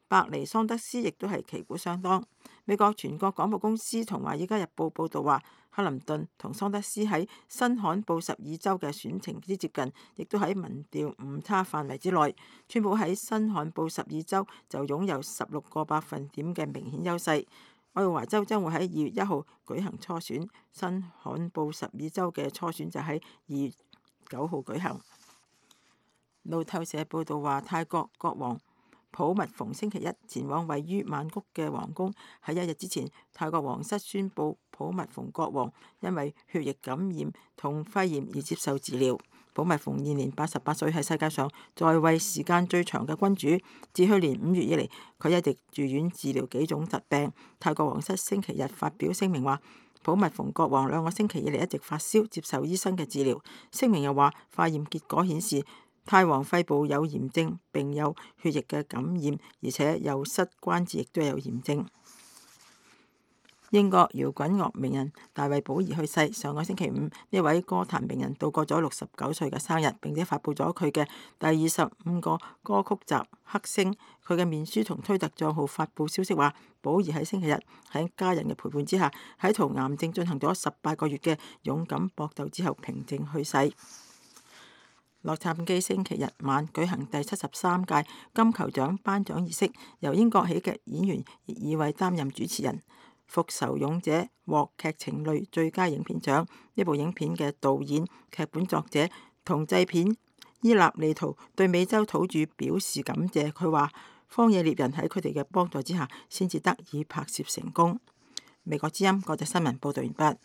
白尼桑德斯亦都係旗鼓相當。美國全國廣播公司同華爾街日報報導話，克林頓同桑德斯喺新罕布什爾州嘅選情之接近，亦都喺民調誤差範圍之內。川普喺新罕布什爾州就擁有十六個百分點嘅明顯優勢。愛奧華州將會喺二月一號舉行初選，新罕布什爾州嘅初選就喺二月九號舉行。路透社報導話，泰國國王普密蓬星期一前往位於曼谷嘅皇宮，喺一日之前，泰國皇室宣布普密蓬國王因為血液感染同肺炎而接受治療。普密蓬現年八十八歲，係世界上在位時間最長嘅君主。自去年五月以嚟，佢一直住院治療幾種疾病。泰國皇室星期日發表聲明話，普密蓬國王兩個星期以嚟一直發燒，接受醫生嘅治療。聲明又話，化驗結果顯示泰王肺部有炎症，並有血液嘅感染，而且右膝關節亦都有炎症。英國搖滾樂名人大衛保兒去世，上個星期五，呢位歌壇名人度過咗六十九歲嘅生日，並且發布咗佢嘅第二十五個歌曲集《黑星》。佢嘅面書同推特帳號發布消息話，保兒喺星期日喺家人嘅陪伴之下，喺同癌症進行咗十八個月嘅勇敢搏鬥之後平靜去世。洛杉磯星期日晚舉行第七十三屆金球獎頒獎儀式，由英國喜劇演員葉爾偉擔任主持人。《復仇勇者》獲劇情類最佳影片獎。呢部影片嘅導演、劇本作者同製片伊納利圖對美洲土著表示感謝。佢話：荒野獵人喺佢哋嘅幫助之下，先至得以拍攝成功。美國之音國際新聞報道完畢。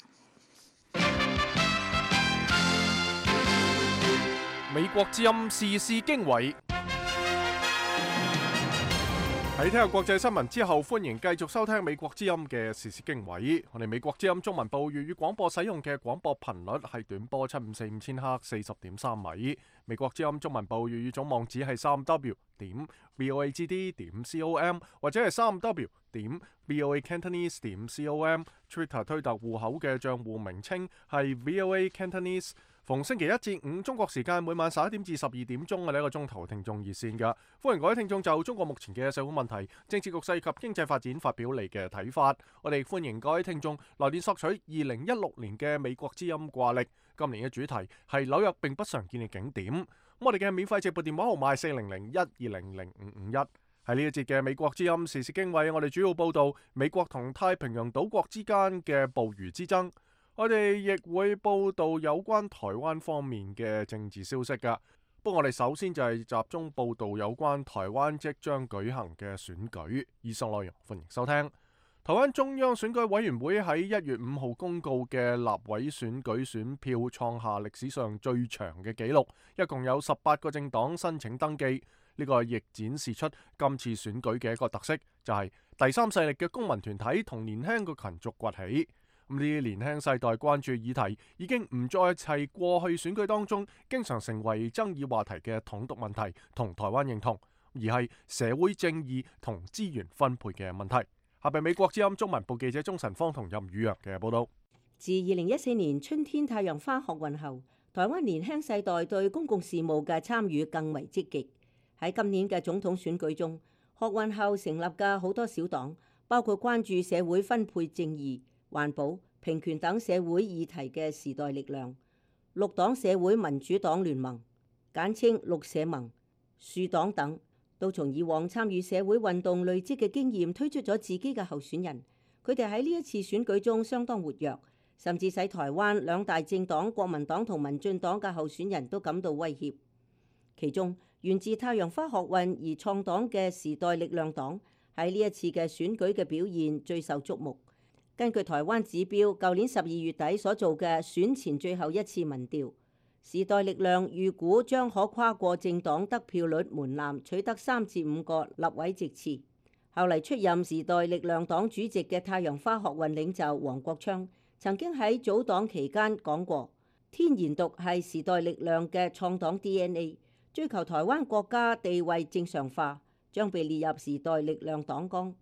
美國之音時事經緯。喺聽日國際新聞之後，歡迎繼續收聽美國之音嘅時事經緯。我哋美國之音中文部粵語廣播使用嘅廣播頻率係短波七五四五千赫四十點三米。美國之音中文部粵語總網址係三 w 點 voagd 點 com 或者係三 w 點 voacantonese 點 com。Twitter 推特戶口嘅賬戶名稱係 voa cantonese。逢星期一至五中國時間每晚十一點至十二點鐘嘅呢一個鐘頭聽眾熱線㗎，歡迎各位聽眾就中國目前嘅社會問題、政治局勢及經濟發展發表你嘅睇法。我哋歡迎各位聽眾來電索取二零一六年嘅美國之音掛曆，今年嘅主題係紐約並不常見嘅景點。咁我哋嘅免費直撥電話號碼係四零零一二零零五五一。喺呢一節嘅美國之音時事經緯，我哋主要報道美國同太平洋島國之間嘅捕魚之爭。我哋亦會報道有關台灣方面嘅政治消息㗎。不過我哋首先就係集中報道有關台灣即將舉行嘅選舉。以上內容歡迎收聽。台灣中央選舉委員會喺一月五號公告嘅立委選舉選票創下歷史上最長嘅紀錄，一共有十八個政黨申請登記。呢個亦展示出今次選舉嘅一個特色，就係第三勢力嘅公民團體同年輕嘅群族崛起。咁呢啲年輕世代關注議題已經唔再係過去選舉當中經常成為爭議話題嘅統獨問題同台灣認同，而係社會正義同資源分配嘅問題。下邊美國之音中文部記者鍾晨芳同任宇陽嘅報道。自二零一四年春天太陽花學運後，台灣年輕世代對公共事務嘅參與更為積極。喺今年嘅總統選舉中，學運後成立嘅好多小黨，包括關注社會分配正義、環保、平權等社會議題嘅時代力量、綠黨社會民主黨聯盟（簡稱綠社盟）、樹黨等，都從以往參與社會運動累積嘅經驗，推出咗自己嘅候選人。佢哋喺呢一次選舉中相當活躍，甚至使台灣兩大政黨國民黨同民進黨嘅候選人都感到威脅。其中源自太陽花學運而創黨嘅時代力量黨喺呢一次嘅選舉嘅表現最受矚目。根據台灣指標，舊年十二月底所做嘅選前最後一次民調，時代力量預估將可跨過政黨得票率門檻，取得三至五個立委席次。後嚟出任時代力量黨主席嘅太陽花學運領袖黃國昌曾經喺組黨期間講過，天然獨係時代力量嘅創黨 D N A， 追求台灣國家地位正常化，將被列入時代力量黨綱。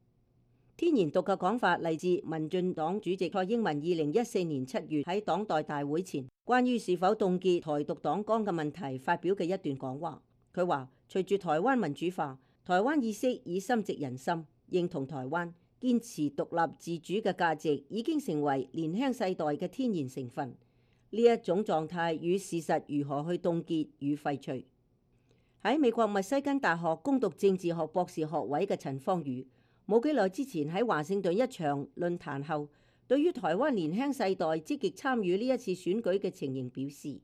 天然獨嘅講法嚟自民進黨主席蔡英文二零一四年七月喺黨代大會前關於是否凍結台獨黨綱嘅問題發表嘅一段講話。佢話：隨住台灣民主化，台灣意識已深植人心，認同台灣，堅持獨立自主嘅價值已經成為年輕世代嘅天然成分。呢一種狀態與事實如何去凍結與廢除？喺美國密西根大學攻讀政治學博士學位嘅陳芳宇，冇幾耐之前喺華盛頓一場論壇後，對於台灣年輕世代積極參與呢一次選舉嘅情形表示：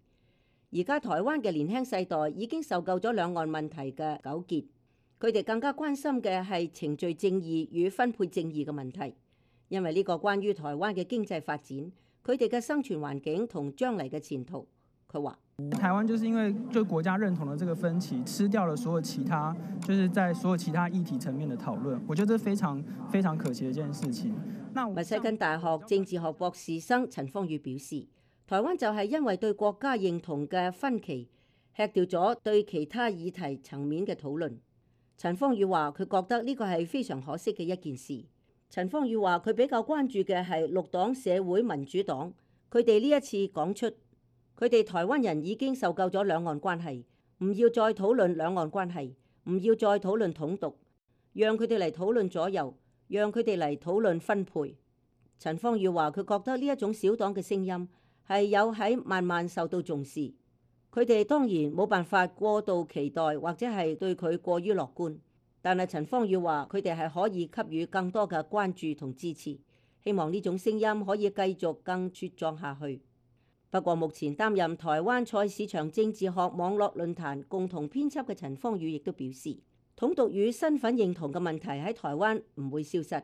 而家台灣嘅年輕世代已經受夠咗兩岸問題嘅糾結，佢哋更加關心嘅係程序正義與分配正義嘅問題，因為呢個關於台灣嘅經濟發展、佢哋嘅生存環境同將來嘅前途。佢話：台灣就是因為就國家認同的這個分歧，吃掉了所有其他，就是在所有其他議題層面的討論。我覺得這非常非常可惜的一件事情。密西根大學政治學博士生陳芳宇表示，台灣就係因為對國家認同嘅分歧，吃掉咗對其他議題層面嘅討論。陳芳宇話：佢覺得呢個係非常可惜嘅一件事。陳芳宇話：佢比較關注嘅係綠黨社會民主黨，佢哋呢一次講出。佢哋台灣人已經受夠咗兩岸關係，唔要再討論兩岸關係，唔要再討論統獨，讓佢哋嚟討論左右，讓佢哋嚟討論分配。陳芳宇話：佢覺得呢一種小黨嘅聲音係有喺慢慢受到重視。佢哋當然冇辦法過度期待或者係對佢過於樂觀，但係陳方宇話佢哋係可以給予更多嘅關注同支持，希望呢種聲音可以繼續更茁壯下去。不過目前擔任台灣菜市場政治學網絡論壇共同編輯嘅陳方宇亦都表示，統獨與身份認同嘅問題喺台灣唔會消失，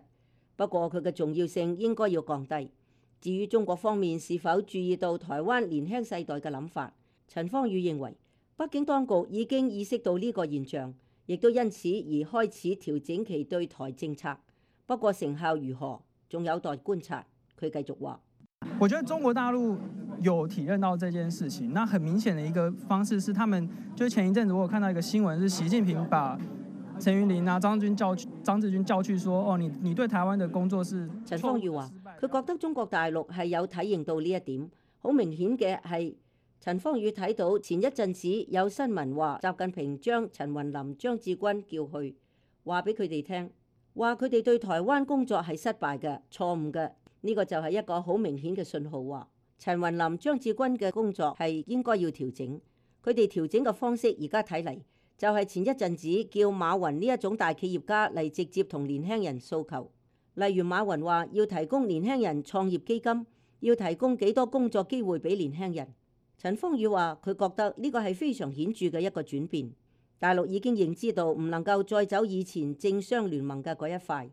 不過佢嘅重要性應該要降低。至於中國方面是否注意到台灣年輕世代嘅諗法，陳方宇認為北京當局已經意識到呢個現象，亦都因此而開始調整其對台政策。不過成效如何，仲有待觀察。佢繼續話：我覺得中國大陸有體認到這件事情，那很明顯的一個方式是，他們就前一陣子我有看到一個新聞，是習近平把陳雲林啊、張軍叫張志軍叫去說：哦，你你對台灣的工作是。陳方宇話：佢覺得中國大陸係有體認到呢一點，好明顯嘅係。陳方宇睇到前一陣子有新聞話，習近平將陳雲林、張志軍叫去，話俾佢哋聽，話佢哋對台灣工作係失敗嘅、錯誤嘅。呢個就係一個好明顯嘅信號，話陳雲林、張志軍嘅工作係應該要調整。佢哋調整嘅方式而家睇嚟，就係前一陣子叫馬雲呢一種大企業家嚟直接同年輕人訴求。例如馬雲話要提供年輕人創業基金，要提供幾多工作機會俾年輕人。陳方宇話：佢覺得呢個係非常顯著嘅一個轉變。大陸已經認知到唔能夠再走以前政商聯盟嘅嗰一塊，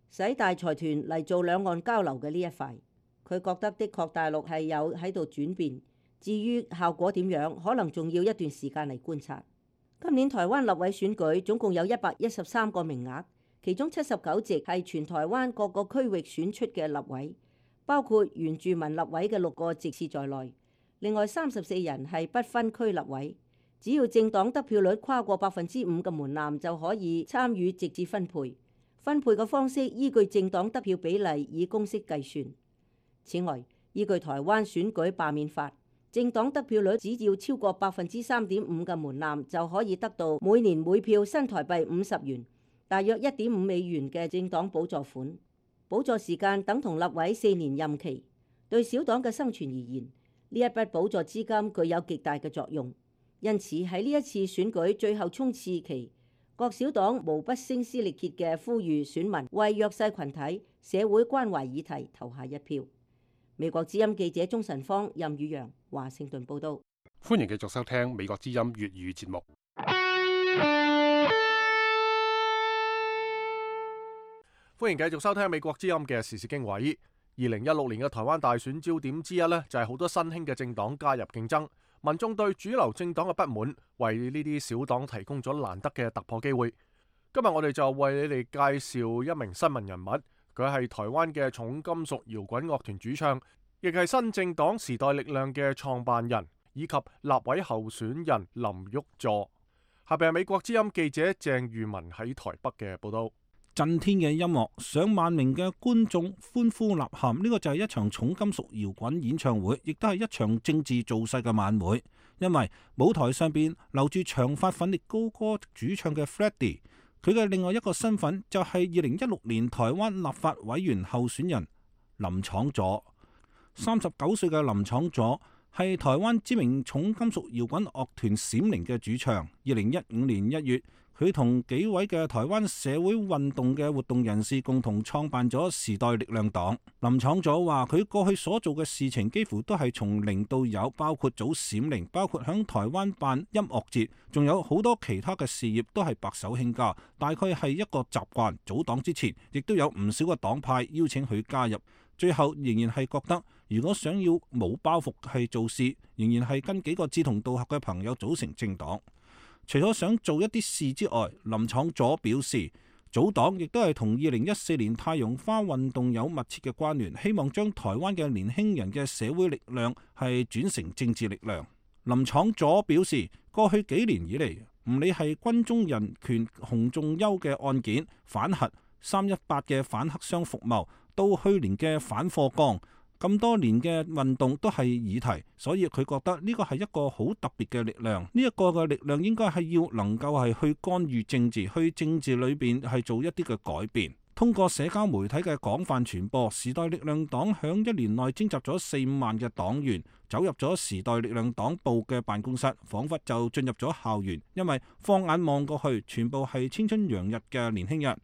使大財團嚟做兩岸交流嘅呢一塊。佢覺得的確大陸係有喺度轉變，至於效果點樣，可能仲要一段時間嚟觀察。今年台灣立委選舉總共有一百一十三個名額，其中七十九席係全台灣各個區域選出嘅立委，包括原住民立委嘅六個席次在內。另外三十四人係不分區立委，只要政黨得票率跨過百分之五嘅門檻就可以參與直接分配。分配嘅方式依據政黨得票比例以公式計算。此外，依據台灣選舉罷免法，政黨得票率只要超過百分之三點五嘅門檻就可以得到每年每票新台幣五十元，大約一點五美元嘅政黨補助款。補助時間等同立委四年任期，對小黨嘅生存而言，呢一筆補助資金具有極大嘅作用，因此喺呢一次選舉最後衝刺期，各小黨無不聲嘶力竭嘅呼籲選民為弱勢群體、社會關懷議題投下一票。美國之音記者鍾晨芳、任宇陽，華盛頓報道。歡迎繼續收聽美國之音粵語節目。歡迎繼續收聽美國之音嘅時事經緯。二零一六年嘅台灣大選焦點之一呢，就係好多新興嘅政黨加入競爭，民眾對主流政黨嘅不滿，為呢啲小黨提供咗難得嘅突破機會。今日我哋就為你哋介紹一名新聞人物，佢係台灣嘅重金屬搖滾樂團主唱，亦係新政黨時代力量嘅創辦人，以及立委候選人林旭佐。下邊係美國之音記者鄭裕文喺台北嘅報道。震天嘅音樂，上萬名嘅觀眾歡呼吶喊，呢、這個就係一場重金屬搖滾演唱會，亦都係一場政治造勢嘅晚會。因為舞台上邊留住長髮粉烈高歌主唱嘅 Freddie， 佢嘅另外一個身份就係二零一六年台灣立法委員候選人林昶佐。三十九歲嘅林昶佐係台灣知名重金屬搖滾樂團閃靈嘅主唱。二零一五年一月，佢同幾位嘅台灣社會運動嘅活動人士共同創辦咗時代力量黨。林昶佐話：佢過去所做嘅事情幾乎都係從零到有，包括組閃靈，包括響台灣辦音樂節，仲有好多其他嘅事業都係白手興家。大概係一個習慣。組黨之前，亦都有唔少嘅黨派邀請佢加入，最後仍然係覺得，如果想要冇包袱係做事，仍然係跟幾個志同道合嘅朋友組成政黨。除咗想做一啲事之外，林昶佐表示，組黨亦都係同二零一四年太陽花運動有密切嘅關聯，希望將台灣嘅年輕人嘅社會力量係轉成政治力量。林昶佐表示，過去幾年以嚟，唔理係軍中人權洪仲丘嘅案件、反核、三一八嘅反黑箱服貿，到去年嘅反課綱，咁多年嘅運動都係議題，所以佢覺得呢個係一個好特別嘅力量。呢一個嘅力量應該係要能夠係去干預政治，去政治裏邊係做一啲嘅改變。通過社交媒體嘅廣泛傳播，時代力量黨響一年內徵集咗四五萬嘅黨員走入咗時代力量黨部嘅辦公室，彷彿就進入咗校園，因為放眼望過去，全部係青春洋溢嘅年輕人。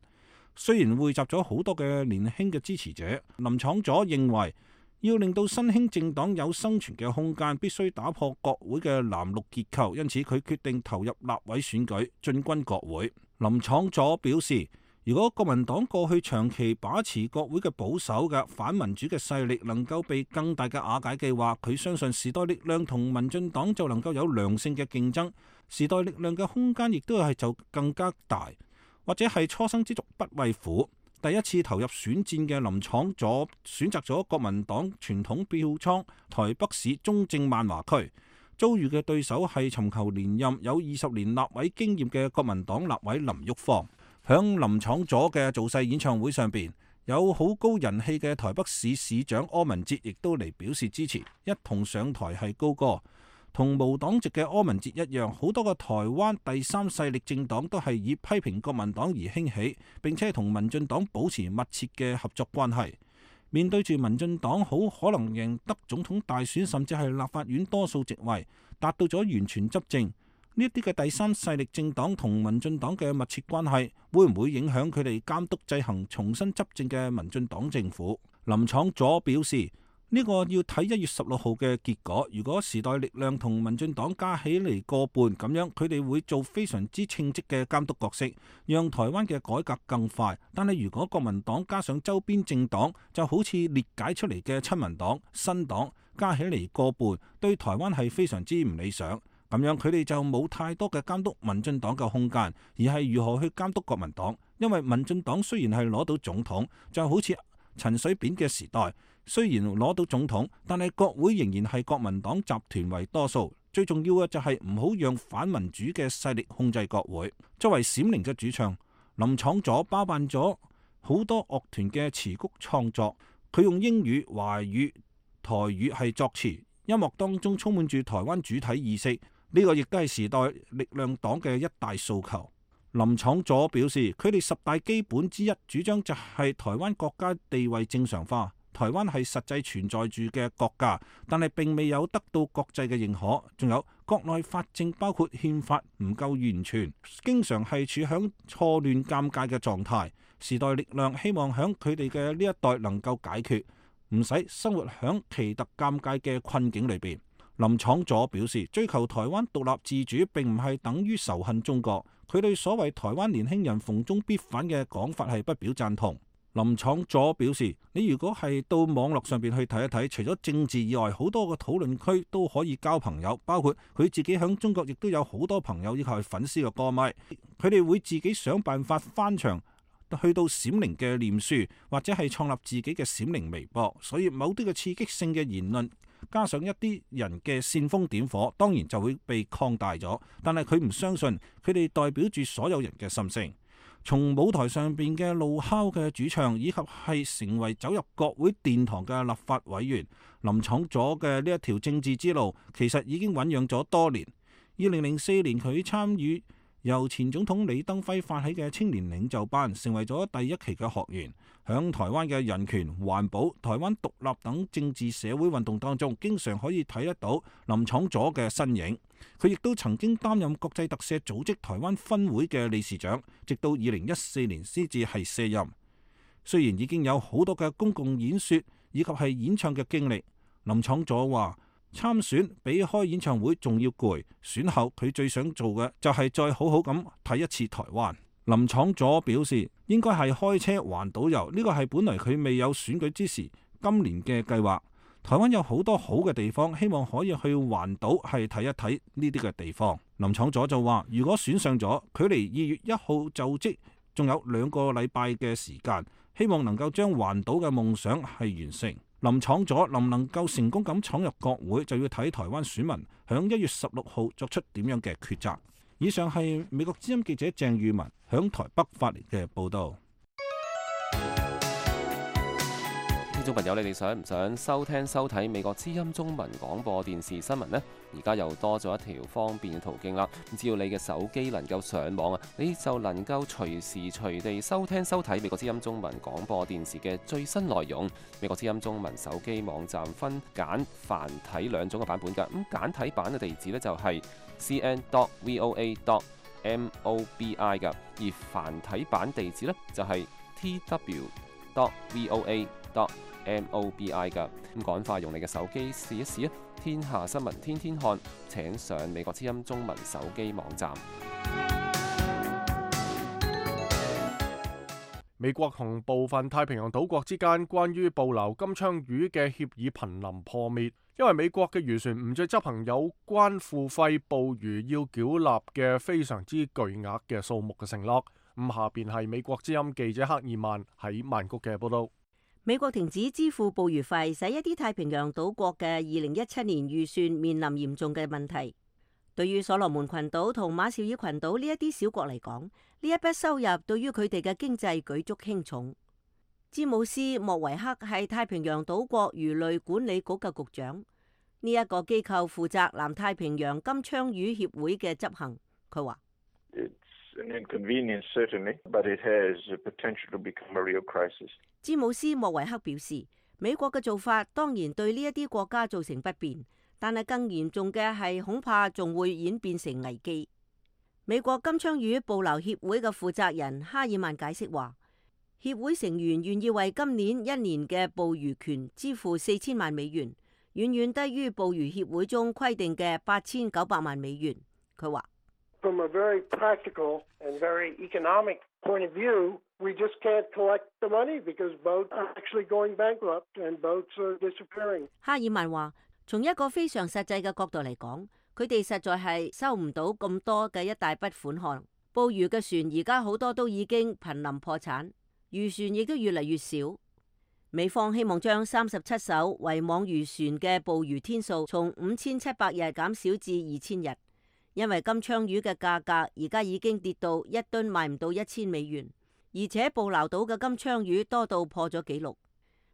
雖然匯集咗好多嘅年輕嘅支持者，林昶佐認為要令到新興政黨有生存嘅空間，必須打破國會嘅藍綠結構，因此佢決定投入立委選舉，進軍國會。林昶佐表示，如果國民黨過去長期把持國會嘅保守嘅反民主嘅勢力能夠被更大嘅瓦解嘅話，佢相信時代力量同民進黨就能夠有良性嘅競爭，時代力量嘅空間亦都係就更加大。或者係初生之犢不畏虎，第一次投入選戰嘅林昶佐選擇咗國民黨傳統票倉台北市中正萬華區，遭遇嘅對手係尋求連任有二十年立委經驗嘅國民黨立委林郁方。響林昶佐嘅造勢演唱會上邊，有好高人氣嘅台北市市長柯文哲亦都嚟表示支持，一同上台係高歌。同無黨籍嘅柯文哲一樣，好多個台灣第三勢力政黨都係以批評國民黨而興起，並且同民進黨保持密切嘅合作關係。面對住民進黨好可能贏得總統大選，甚至係立法院多數席位，達到咗完全執政，呢一啲嘅第三勢力政黨同民進黨嘅密切關係，會唔會影響佢哋監督制衡重新執政嘅民進黨政府？林昶佐表示，呢個要睇一月十六號嘅結果。如果時代力量同民進黨加起嚟過半咁樣，佢哋會做非常之稱職嘅監督角色，讓台灣嘅改革更快。但係如果國民黨加上周邊政黨，就好似裂解出嚟嘅親民黨、新黨加起嚟過半，對台灣係非常之唔理想。咁樣佢哋就冇太多嘅監督民進黨嘅空間，而係如何去監督國民黨。因為民進黨雖然係攞到總統，就好似陳水扁嘅時代。雖然攞到總統，但係國會仍然係國民黨集團為多數。最重要嘅就係唔好讓反民主嘅勢力控制國會。作為閃靈嘅主唱，林昶佐包辦咗好多樂團嘅詞曲創作。佢用英語、華語、台語係作詞，音樂當中充滿住台灣主體意識。呢個亦都係時代力量黨嘅一大訴求。林昶佐表示，佢哋十大基本之一主張就係台灣國家地位正常化。台灣係實際存在住嘅國家，但係並未有得到國際嘅認可。仲有國內法政包括憲法唔夠完全，經常係處響錯亂尷尬嘅狀態。時代力量希望響佢哋嘅呢一代能夠解決，唔使生活響奇特尷尬嘅困境裏邊。林昶佐表示，追求台灣獨立自主並唔係等於仇恨中國。佢對所謂台灣年輕人逢中必反嘅講法係不表贊同。林昶佐表示，你如果係到網絡上邊去睇一睇，除咗政治以外，好多個討論區都可以交朋友，包括佢自己響中國亦都有好多朋友，以及係粉絲嘅歌迷，佢哋會自己想辦法翻牆去到閃靈嘅臉書，或者係創立自己嘅閃靈微博。所以某啲嘅刺激性嘅言論，加上一啲人嘅煽風點火，當然就會被擴大咗。但係佢唔相信佢哋代表住所有人嘅心聲。從舞台上邊嘅怒哮嘅主唱，以及係成為走入國會殿堂嘅立法委員，林昶佐嘅呢一條政治之路，其實已經醖釀咗多年。二零零四年佢參與由前總統李登輝發起嘅青年領袖班，成為咗第一期嘅學員。響台灣嘅人權、環保、台灣獨立等政治社會運動當中，經常可以睇得到林昶佐嘅身影。佢亦都曾經擔任國際特赦組織台灣分會嘅理事長，直到二零一四年先至係卸任。雖然已經有好多嘅公共演說以及係演唱嘅經歷，林昶佐話參選比開演唱會仲要攰，選後佢最想做嘅就係再好好咁睇一次台灣。林昶佐表示，應該係開車環島遊，呢個係本來佢未有選舉之時今年嘅計劃。台灣有好多好嘅地方，希望可以去環島係睇一睇呢啲嘅地方。林昶佐就話，如果選上咗，距離二月一號就職仲有兩個禮拜嘅時間，希望能夠將環島嘅夢想係完成。林昶佐能唔能夠成功咁闖入國會，就要睇台灣選民響一月十六號作出點樣嘅抉擇。以上係美國之音記者鄭裕文響台北發嚟嘅報道。聽眾朋友，你哋想唔想收聽收睇美國之音中文廣播電視新聞呢？而家又多咗一條方便嘅途徑啦。只要你嘅手機能夠上網啊，你就能夠隨時隨地收聽收睇美國之音中文廣播電視嘅最新內容。美國之音中文手機網站分簡繁體兩種嘅版本㗎。咁簡體版嘅地址呢，就係 c n dot v o a dot m o b i 㗎，而繁體版地址呢，就係 t w dot v o a dot m o b i 㗎。咁趕快用你嘅手機試一試啊！天下新聞天天看，請上美國之音中文手機網站。美國同部分太平洋島國之間關於捕撈金槍魚嘅協議瀕臨破滅，因為美國嘅漁船唔再執行有關付費捕魚要繳納嘅非常之巨額嘅數目嘅承諾。咁下邊係美國之音記者克爾曼喺曼谷嘅報道。美國停止支付捕魚費，使一啲太平洋島國嘅二零一七年預算面臨嚴重嘅問題。對於所羅門群島同馬紹爾群島呢一啲小國嚟講，呢一筆收入對於佢哋嘅經濟舉足輕重。詹姆斯莫維克係太平洋島國魚類管理局嘅局長，呢一個機構負責南太平洋金槍魚協會嘅執行。佢話：An inconvenience, certainly, but it has potential to become a real crisis. 詹姆斯莫維克表示，美國嘅做法當然對呢一啲國家造成不便，但係更嚴重嘅係恐怕仲會演變成危機。美國金槍魚捕撈協會嘅負責人哈爾曼解釋話，協會成員願意為今年一年嘅捕魚權支付四千萬美元，遠遠低於捕魚協會中規定嘅八千九百萬美元。佢話：From a very practical and very economic point of view, we just can't collect the money because boats are actually going bankrupt and boats are disappearing. 哈爾曼話：從一個非常實際嘅角度嚟講，佢哋實在係收唔到咁多嘅一大筆款項。捕魚嘅船而家好多都已經瀕臨破產，漁船亦都越嚟越少。美方希望將三十七艘圍網漁船嘅捕魚天數從五千七百日減少至二千日。因為金槍魚嘅價格而家已經跌到一噸賣唔到一千美元，而且捕撈到嘅金槍魚多到破咗紀錄。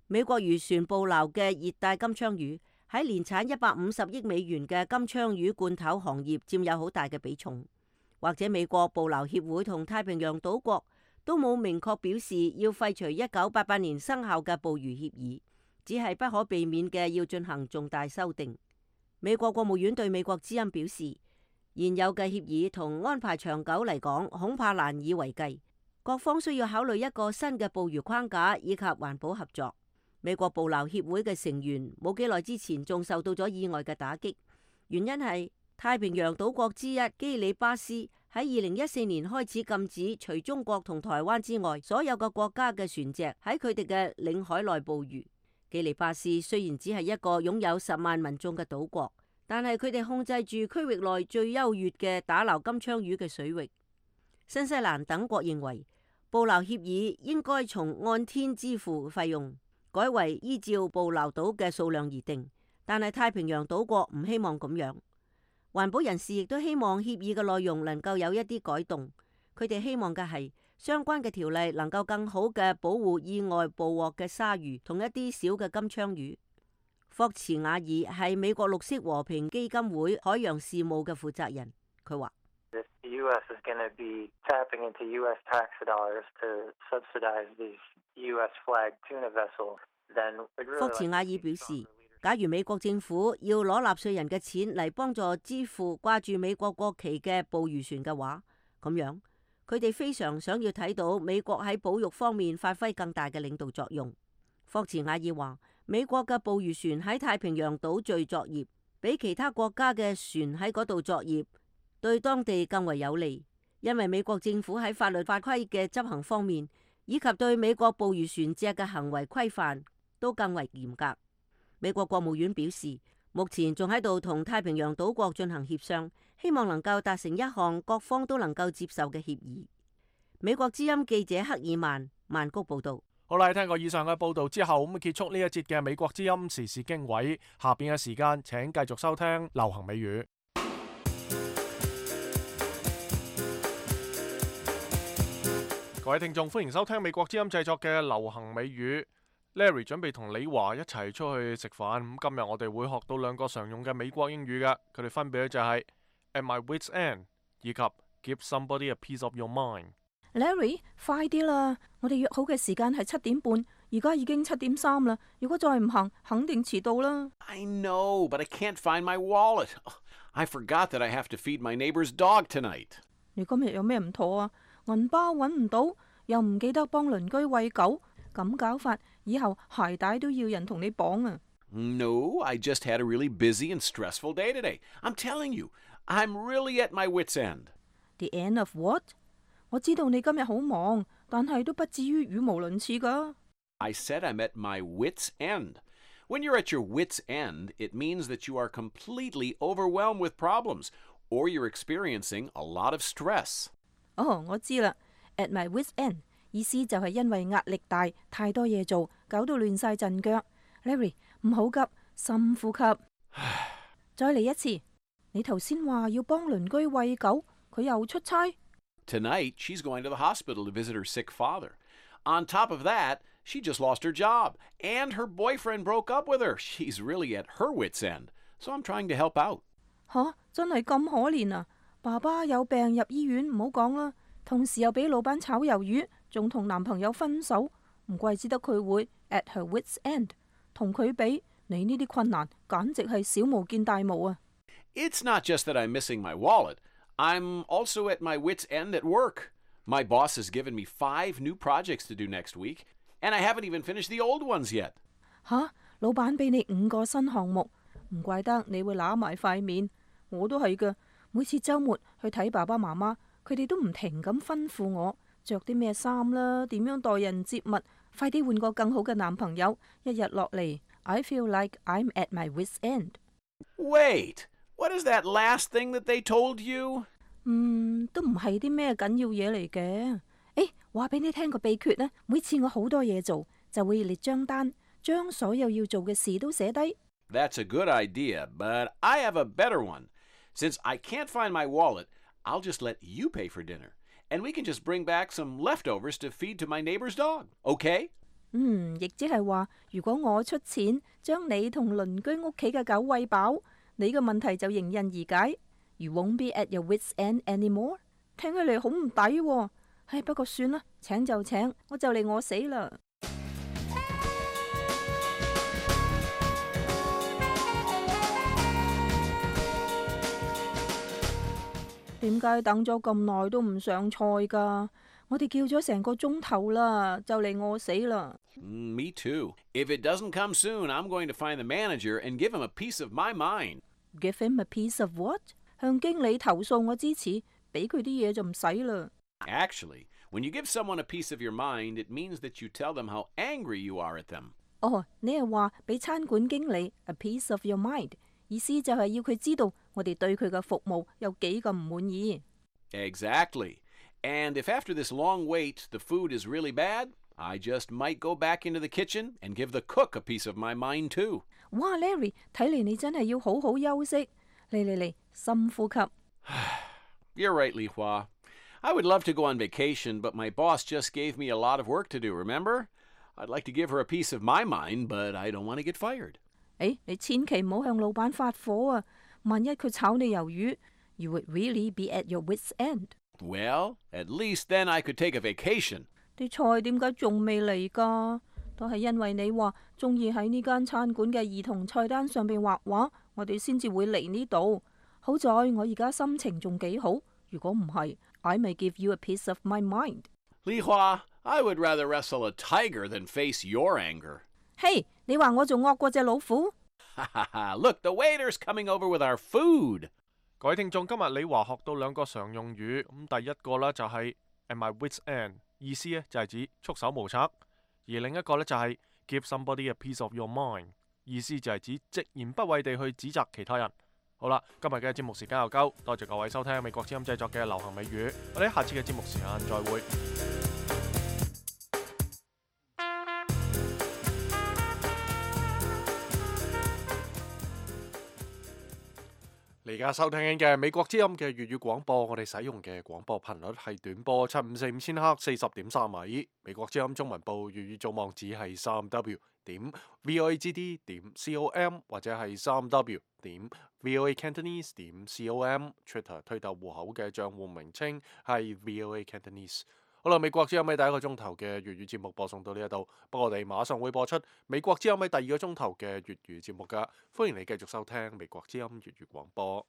美國漁船捕撈嘅熱帶金槍魚喺年產一百五十億美元嘅金槍魚罐頭行業佔有好大嘅比重。或者美國捕撈協會同太平洋島國都冇明確表示要廢除一九八八年生效嘅捕魚協議，只係不可避免嘅要進行重大修訂。美國國務院對美國之音表示，現有嘅協議同安排長久嚟講，恐怕難以為繼。各方需要考慮一個新嘅捕魚框架以及環保合作。美國捕撈協會嘅成員冇幾耐之前仲受到咗意外嘅打擊，原因係太平洋島國之一基里巴斯喺二零一四年開始禁止除中國同台灣之外所有嘅國家嘅船隻喺佢哋嘅領海內捕魚。基里巴斯雖然只係一個擁有十萬民眾嘅島國，但係佢哋控制住區域內最優越嘅打撈金槍魚嘅水域。新西蘭等國認為捕撈協議應該從按天支付費用改為依照捕撈到嘅數量而定，但係太平洋島國唔希望咁樣。環保人士亦都希望協議嘅內容能夠有一啲改動，佢哋希望嘅係相關嘅條例能夠更好嘅保護意外捕獲嘅鯊魚同一啲小嘅金槍魚。霍茨瓦爾係美國綠色和平基金會海洋事務嘅負責人，佢話霍茨瓦爾表示，假如美國政府要攞納稅人嘅錢嚟幫助支付掛住美國國旗嘅捕魚船嘅話，咁樣佢哋非常想要睇到美國喺保育方面發揮更大嘅領導作用。霍茨瓦爾話，美國嘅捕魚船喺太平洋島嶼作業，比其他國家嘅船喺嗰度作業對當地更為有利，因為美國政府喺法律法規嘅執行方面，以及對美國捕魚船隻嘅行為規範都更為嚴格。美國國務院表示，目前仲喺度同太平洋島國進行協商，希望能夠達成一項各方都能夠接受嘅協議。美國之音記者克爾曼曼谷報道。好啦，聽過以上嘅報道之後，咁結束呢一節嘅美國之音時事經緯。下邊嘅時間，請繼續收聽流行美語。各位聽眾，歡迎收聽美國之音製作嘅流行美語。Larry 準備同李華一齊出去食飯。咁今日我哋會學到兩個常用嘅美國英語㗎，佢哋分別咧就係 at my wit's end 以及 give somebody a piece of your mind。Larry， 快啲啦！我哋約好嘅時間係七點半，而家已經七點三啦。如果再唔行，肯定遲到啦。I know, but I can't find my wallet. I forgot that I have to feed my neighbor's dog tonight. 你今日有咩唔妥啊？銀包揾唔到，又唔記得幫鄰居餵狗，咁搞法，以後鞋帶都要人同你綁啊。No, I just had a really busy and stressful day today. I'm telling you, I'm really at my wit's end. The end of what?我知道你今日好忙，但係都不至於語無倫次㗎。I said I'm at my wit's end. When you're at your wit's end, it means that you are completely overwhelmed with problems, or you're experiencing a lot of stress. 哦，我知啦。At my wit's end 意思就係因為壓力大，太多嘢做，搞到亂晒陣腳。Larry， 唔好急，深呼吸。再嚟一次。你頭先話要幫鄰居餵狗，佢又出差。Tonight, she's going to the hospital to visit her sick father. On top of that, she just lost her job, and her boyfriend broke up with her. She's really at her wit's end, so I'm trying to help out. 吓，真係咁可憐啊！爸爸有病入醫院，唔好講啦。同時又俾老闆炒魷魚，仲同男朋友分手，唔怪之得佢會 at her wit's end。同佢比，你呢啲困難簡直係小巫見大巫啊！ It's not just that I'm missing my wallet.I'm also at my wit's end at work. My boss has given me five new projects to do next week, and I haven't even finished the old ones yet. 吓，老闆俾你五個新項目，唔怪得你會揦埋塊面。我都係㗎，每次週末去睇爸爸媽媽，佢哋都唔停咁吩咐我着啲咩衫啦，點樣待人接物，快啲換個更好嘅男朋友。一日落嚟 ，I feel like I'm at my wit's end. Wait.What is that last thing that they told you? 嗯，都唔係啲咩緊要嘢嚟嘅。誒，話俾你聽個秘訣啦。每次我好多嘢做，就會列張單，將所有要做嘅事都寫低。That's a good idea, but I have a better one. Since I can't find my wallet, I'll just let you pay for dinner, and we can just bring back some leftovers to feed to my neighbor's dog. Okay? 嗯，亦即係話，如果我出錢將你同鄰居屋企嘅狗餵飽。你嘅問題就迎刃而解。You won't be at your wit's end anymore。聽起嚟好唔抵喎。唉，不過算啦，請就請，我就嚟餓死啦。點解等咗咁耐都唔上菜㗎？我哋叫咗成個鐘頭啦，就嚟餓死啦。Mm, me too. If it doesn't come soon, I'm going to find the manager and give him a piece of my mind.Give him a piece of what? 向經理投訴我支持，俾佢啲嘢就唔使啦。Actually, when you give someone a piece of your mind, it means that you tell them how angry you are at them. 哦，你係話俾餐館經理 a piece of your mind， 意思就係要佢知道我哋對佢嘅服務有幾咁唔滿意。Exactly. And if after this long wait the food is really bad, I just might go back into the kitchen and give the cook a piece of my mind too. 哇 ，Larry， 睇嚟你真係要好好休息。嚟嚟嚟，深呼吸。You're right, Li Hua. I would love to go on vacation, but my boss just gave me a lot of work to do, remember? I'd like to give her a piece of my mind, but I don't want to get fired. 誒，你千祈唔好向老闆發火啊！萬一佢炒你魷魚 ，you would really be at your wit's end. Well, at least then I could take a vacation. 啲菜點解仲未嚟㗎？都係因為你話中意喺呢間餐館嘅兒童菜單上邊畫畫，我哋先至會嚟呢度。好在我而家心情仲幾好，如果唔係 ，I may give you a piece of my mind. Li Hua, I would rather wrestle a tiger than face your anger. 嘿，你話我仲惡過隻老虎？ Look, the waiter's coming over with our food. 各位聽眾，今日李華學到兩個常用語，咁第一個呢就係 at my wit's end， 意思呢就係指束手無策；而另一個呢就係 give somebody a piece of your mind， 意思就係指直言不諱地去指責其他人。好啦，今日嘅節目時間又夠，多謝各位收聽美國之音製作嘅流行美語，我哋下次嘅節目時間再會。你而家收聽緊嘅美國之音嘅粵語廣播，我哋使用嘅廣播頻率係短波七五四五千赫四十點三米。美國之音中文部粵語組網址係三 w 點 voagd 點 com 或者係三 w 點 voacantonese 點 com。Twitter 推特戶口嘅賬戶名稱係 voacantonese。好啦，美國之音喺第一個鐘頭嘅粵語節目播送到呢一度，不過我哋馬上會播出美國之音喺第二個鐘頭嘅粵語節目噶，歡迎你繼續收聽美國之音粵語廣播。